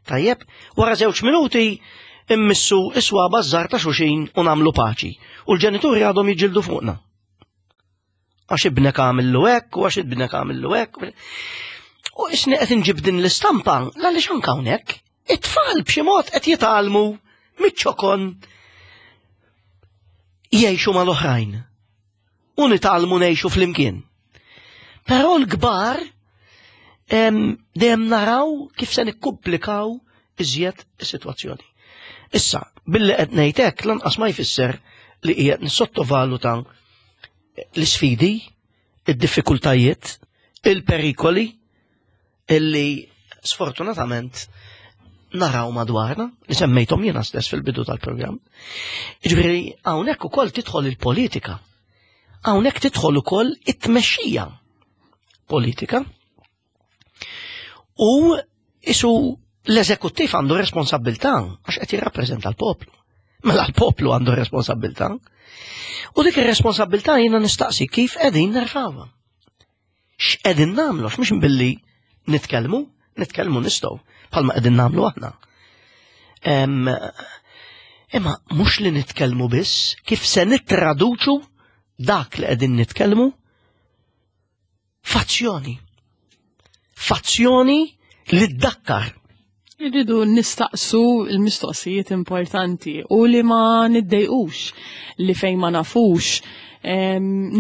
Tajjeb, wara żewġ minuti immissu iswaba żgħar ta' xuxin u nagħmlu paċi. U l-ġenituri għadhom jiġġieldu fuqna. Għax ibnek għamillu hekk u għax ibnek għamillu hekk. U isni qed inġib din l-istampa għaliex anke hawnhekk it-tfal b'xi mod qed jitgħallmu miċ-ċokon jgħixu mal-oħrajn u nitgħallmu ngħixu flimkien. Però l-kbar dejjem naraw kif se nikkumplikaw iżjed is-sitwazzjoni. Issa, billi qed ngħid hekk lanqas ma jfisser li qiegħed nissottovaluta l-isfidi, id-diffikultajiet, il-perikoli illi sfortunatament naraw madwarna, li semmejthom jiena stess fil-bidu tal-programm. Ġifieri hawnhekk ukoll tidħol il-politika. Hawnhekk tidħol ukoll it-tmexxija politika. U isu l-eżekuttiv għandu responsabilità għax qed jirrappreżenta l-poplu. Mela l-poplu għandu responsabilità. U dik ir-responsabilità jiena nistaqsi kif qegħdin nerfawha. X'qegħdin nagħmlu mhux billi nitkellmu, nitkellmu nistgħu bħalma qegħdin nagħmlu aħna. Imma mhux li nitkellmu biss, kif se nittraduċu dak li qegħdin nitkellmu Fazzjoni. Fazzjoni li ddakkar. Irridu nistaqsu l-mistoqsijiet importanti u li ma niddejqux li fejn ma nafux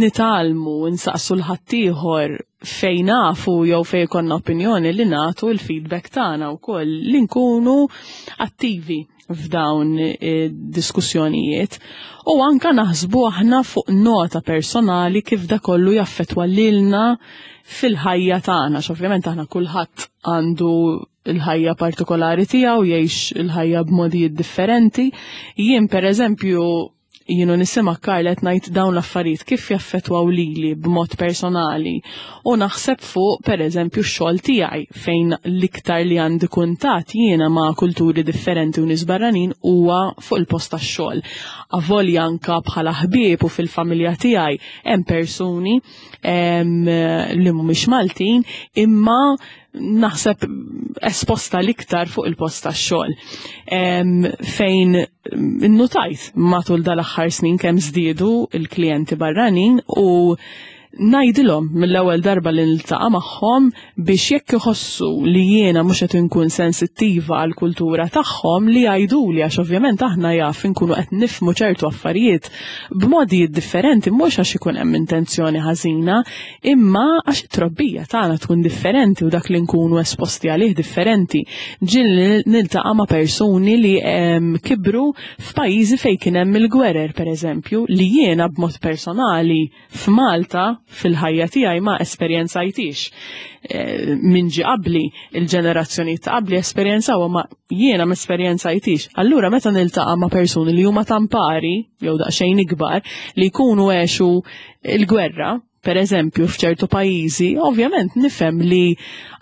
nitalmu nsaqsu l-ħaddieħor fejn nafu jew fejn konna opinjoni li nagħtu l-feedback tagħna wkoll li nkunu attivi f'dawn diskussjonijiet u anka naħsbu aħna fuq nota personali kif da kollu jaffetwa lilna fil-ħajja tagħna, ovvjament aħna kulħadd għandu il-ħajja partikolari tiegħu jgħix il-ħajja b'modijiet differenti. Jien pereżempju jienu nisima Karl qed ngħid dawn l-affarijiet kif jaffettwaw lili b'mod personali u naħseb fuq pereżempju x-xogħol tiegħi fejn l-iktar li għandi kuntatt jiena ma' kulturi differenti u nies barranin huwa fuq il-post tax-xogħol. Avolja anka bħala ħbieb u fil-familja tiegħi hemm persuni li mhumiex Maltin imma naħseb esposta l-iktar fuq il-post tax-xogħol. Fejn innutajt matul dal-aħħar snin kemm żdiedu il-klijenti barranin u Ngħidilhom mill-ewwel darba li niltaqa' magħhom biex jekk iħossu li jiena mhux qed inkun sensittiva għall-kultura tagħhom li jgħiduli għax ovvjament aħna jaf inkunu qed nifhmu ċertu affarijiet b'modijiet differenti mhux għax ikun hemm intenzjoni ħażina imma għax it-trobbija tagħna tkun differenti u dak li nkunu esposti għalih differenti. Ġieli niltaqa' ma' persuni li kibru f'pajjiżi fejn kien hemm il-gwerer pereżempju li jiena b'mod personali F'Malta, fil-ħajja tiegħi ma esperjenzajtix. Eh, min ġie qabli, il-ġenerazzjonijiet ta' qabli esperjenzaw ma jiena ma esperjenzajtix. Allura meta niltaqa' ma' persuni li huma tampari, jew daqsxejn ikbar, li jkunu għexu il-gwerra, per eżempju f'ċertu pajjiżi, ovvjament nifhem li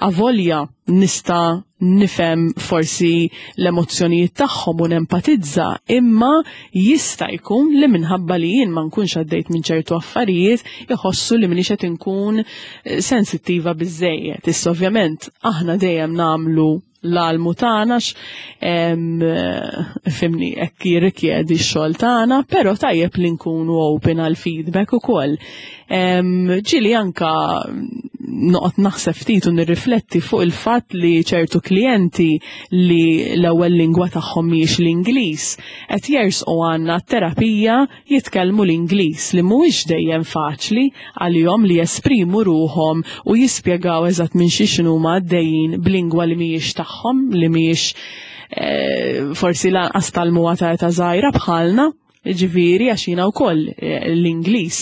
avolja nista' nifhem forsi l-emozzjonijiet tagħhom u nempatizza, imma jista' jkun li minħabba li jien ma nkunx għaddejt minn ċertu affarijiet iħossu li m'iniex qed inkun eh, sensittiva biżejjed. Issa ovvjament aħna dejjem nagħmlu l-almu tagħna fimni hekk jirrikjedi x-xogħol tagħna, però tajjeb li nkunu open għal feedback ukoll. Ġieli anka noqgħod naħseb ftit u nirrifletti fuq il-fatt li ċertu klijenti li l-ewwel lingwa tagħhom mhijiex l-Ingliż qed jersqu għandna terapija jitkellmu l-Ingliż li mhuwiex dejjem faċli għalihom li jesprimu ruħhom u jispjegaw eżatt minn xiex huma għaddejjin b'lingwa li mhijiex tagħhom, li mhijiex eh, forsi lanqas talmuha ta' età żgħira bħalna. Ġifieri għax jiena wkoll eh, l-Ingliż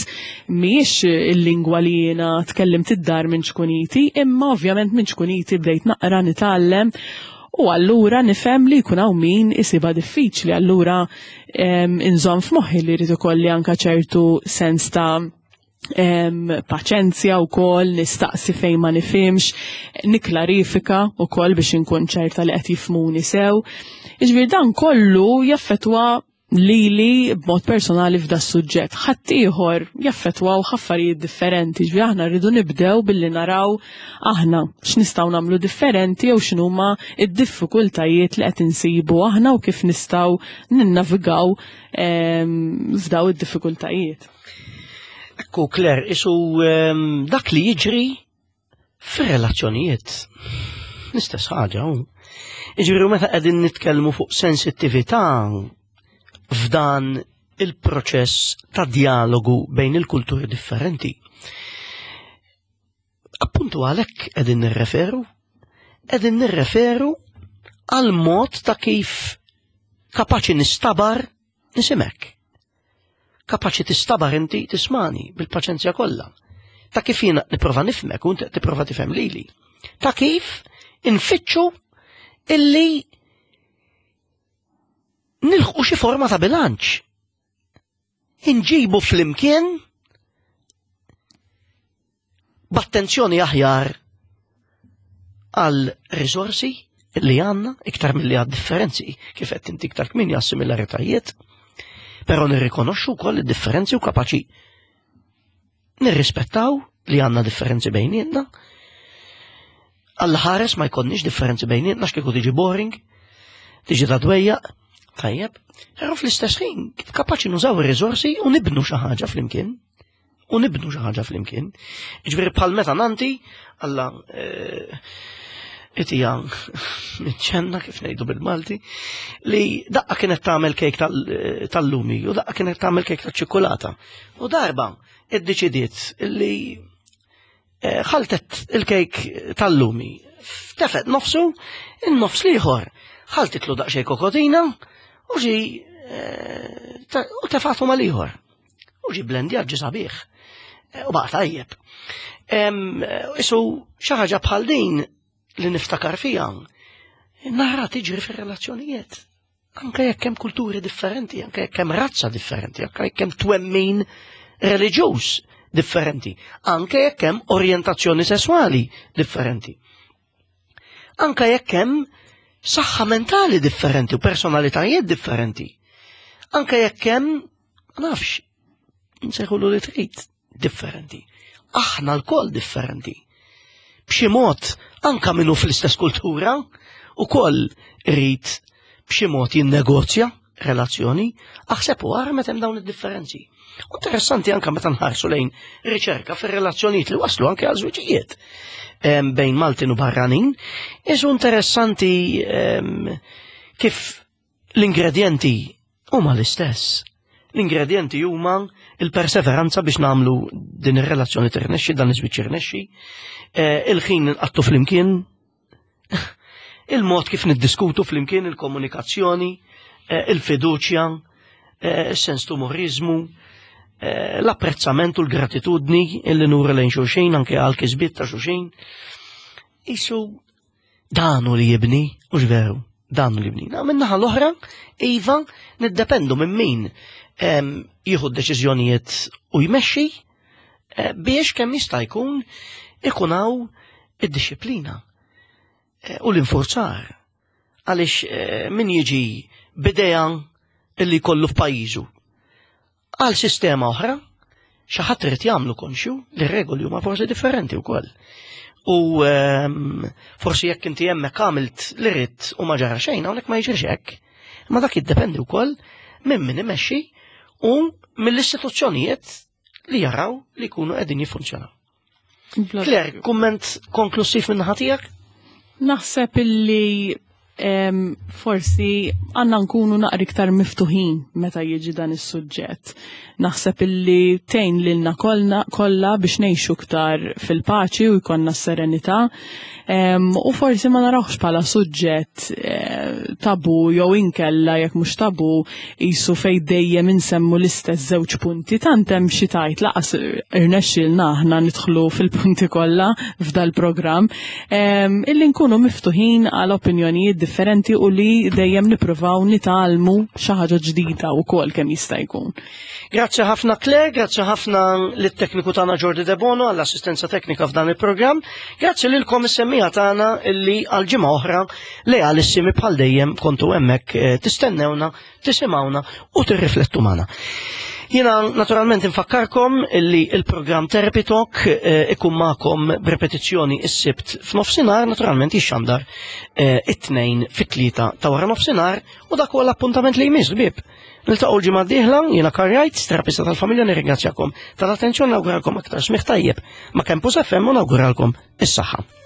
mhijiex il-lingwa li jiena tkellimt id-dar minn ċkuniti, imma ovvjament minn ċkuniti bdejt naqra nitgħallem u allura nifhem li jkun hawn min isibha diffiċli, allura inżomm f'moħħi li jrid ikolli anke ċertu sens ta' paċenzja u kol, nistaqsi fejn ma nifhimx, niklarifika u kol biex inkun ċerta li qed jifhmuni sew. Iġbir dan kollu jaffetwa lili b'mod personali f'da suġġett. Ħaddieħor jaffettwaw affarijiet differenti, ġifieri aħna rridu nibdew billi naraw aħna x'nistgħu nagħmlu differenti jew x'inhuma id-diffikultajiet li qed insibu aħna u kif nistgħu ninnavigaw ehm, f'daw id-diffikultajiet. Ekku Claire, isu ehm, dak li jiġri Fir-relazzjonijiet, l-istess ħaġa. Jiġifieri meta qegħdin nitkellmu fuq sensittività f'dan il-proċess ta' dialogu bejn il-kulturi differenti. Appuntu għalhekk qegħdin nirreferu, qegħdin nirreferu għal mod ta' kif kapaċi nistabar nisimek. Kapaċi tistabar inti tismani bil-paċenzja kollha. Ta' kif jiena nipprova nifhmek u inti tipprova tifhem lili. Ta' kif infittxu illi nilħqu xi forma ta' bilanċ. Inġibu flimkien b'attenzjoni aħjar għal risorsi li għanna iktar mill-li għad differenzi kif qed inti iktar kmini għas similaritajiet, però nirrikonoxxu wkoll id-differenzi u kapaċi nirrispettaw li għandna differenzi bejnietna. Alla ħares ma jkollniex differenzi bejnietna x'kieku tiġi boring, tiġi ta' dwejjaq, tajjeb, però fl-istess ħin kif kapaċi nużaw ir-riżorsi u nibnu xi ħaġa flimkien u nibnu xi ħaġa flimkien. Ġifieri bħal meta nanti Alla eh, itija ċenna kif ngħidu bil-Malti li daqqa kienet tagħmel kejk eh, tal-lumi u daqqa kienet tagħmel kejk tal-ċikkulata. U darba iddeċidiet li eh, ħaltet il-kejk tal-lumi. Tefet nofsu, in-nofs liħor ħaltitlu daqsxejn kokotina u ġi u tefatu mal-ieħor. U ġi blendjat ġi sabiħ. Eh, u baqa tajjeb. Isu xi ħaġa bħal din li niftakar fija, nara tiġri fir-relazzjonijiet. Anke jekk hemm kulturi differenti, anke jekk hemm razza differenti, anke jekk hemm twemmin reliġjuż differenti, anke jekk hemm orjentazzjoni sesswali differenti. Anke jekk hemm saħħa mentali differenti u personalitajiet differenti. Anke jekk hemm, ma nafx, nsejħulu li trid, differenti. Aħna lkoll differenti. B'xi mod, anka minnu fl-istess kultura, ukoll irid b'xi mod jinnegozja. relazzjoni, aħseb u ara meta hemm dawn id-differenzi. Interessanti anka meta nħarsu lejn riċerka fir-relazzjonijiet li waslu anke għal żwiġijiet bejn Maltin u barranin, isu interessanti kif l-ingredjenti huma l-istess. L-ingredjenti huma il-perseveranza biex nagħmlu din ir-relazzjoni tirnexxi, dan iż-żwieġ jirnexxi, eh, il-ħin nqattu flimkien, il-mod kif niddiskutu flimkien il-komunikazzjoni, eh, il-fiduċja, eh, il-sens tumorizmu, eh, l-apprezzament u l-gratitudni illi nuru lejn xulxin anke għal kisbiet ta' xulxin. Isu danu li jibni, u veru, danu li jibni. Minnaħa l-oħra, iva, niddependu minn min jieħu d-deċiżjonijiet u jmexxi biex kemm jista' jkun ikun hawn id-disciplina eh, u l-infurzar. Għaliex eh, min jiġi bidea illi kollu f'pajjiżu għal sistema oħra, xi ħadd irid jagħmlu konxju li regoli huma forsi differenti wkoll. U ehm, forsi jekk inti hemmhekk għamilt li ridt u ma ġara xejn, hawnhekk ma jiġrix hekk. Ma dak jiddependi wkoll minn min imexxi u mill-istituzzjonijiet li jaraw li jkunu qegħdin jiffunzjonaw. Claire, kumment konklusiv minn tiegħek? Naħseb illi forsi għanna nkunu naqri iktar miftuħin meta jiġi dan is-suġġett. Naħseb illi tgħin lilna kollha biex ngħixu iktar fil-paċi u jkollna s-serenità. U forsi ma narawx bħala suġġett eh, tabu jew inkella jekk mhux tabu qisu fejn dejjem insemmu l-istess żewġ punti tant hemm xi tajt laqas irnexxielna aħna nidħlu fil-punti kollha f'dal-programm illi nkunu miftuħin għal opinjonijiet differenti u li dejjem nippruvaw nitgħallmu xi ħaġa ġdida wkoll kemm jista' jkun. Grazzi ħafna Claire, grazzi ħafna lit-tekniku tagħna Jordi Debono għall-assistenza teknika f'dan il-programm, grazzi lilkom is-semmija tagħna illi għal ġimgħa oħra lealissimi bħal dejjem kontu hemmhekk eh, tistennewna, tisimgħuna u tirriflettu magħna. Jiena naturalment infakkarkom illi il-programm Therapy Talk eh, ikun magħkom b'repetizzjoni is-Sibt f'nofsinhar, naturalment jixxandar eh, it-tnejn fit-tlieta ta' wara nofsinhar u dak huwa l-appuntament li jmiss ħbieb. Niltaqgħu l-ġimgħa d-dieħla, jiena Karl terapista tal-familja, nirringrazzjakom tal-attenzjoni, nawguralkom aktar smigħ tajjeb ma' Campus FM u nawguralkom is-saħħa.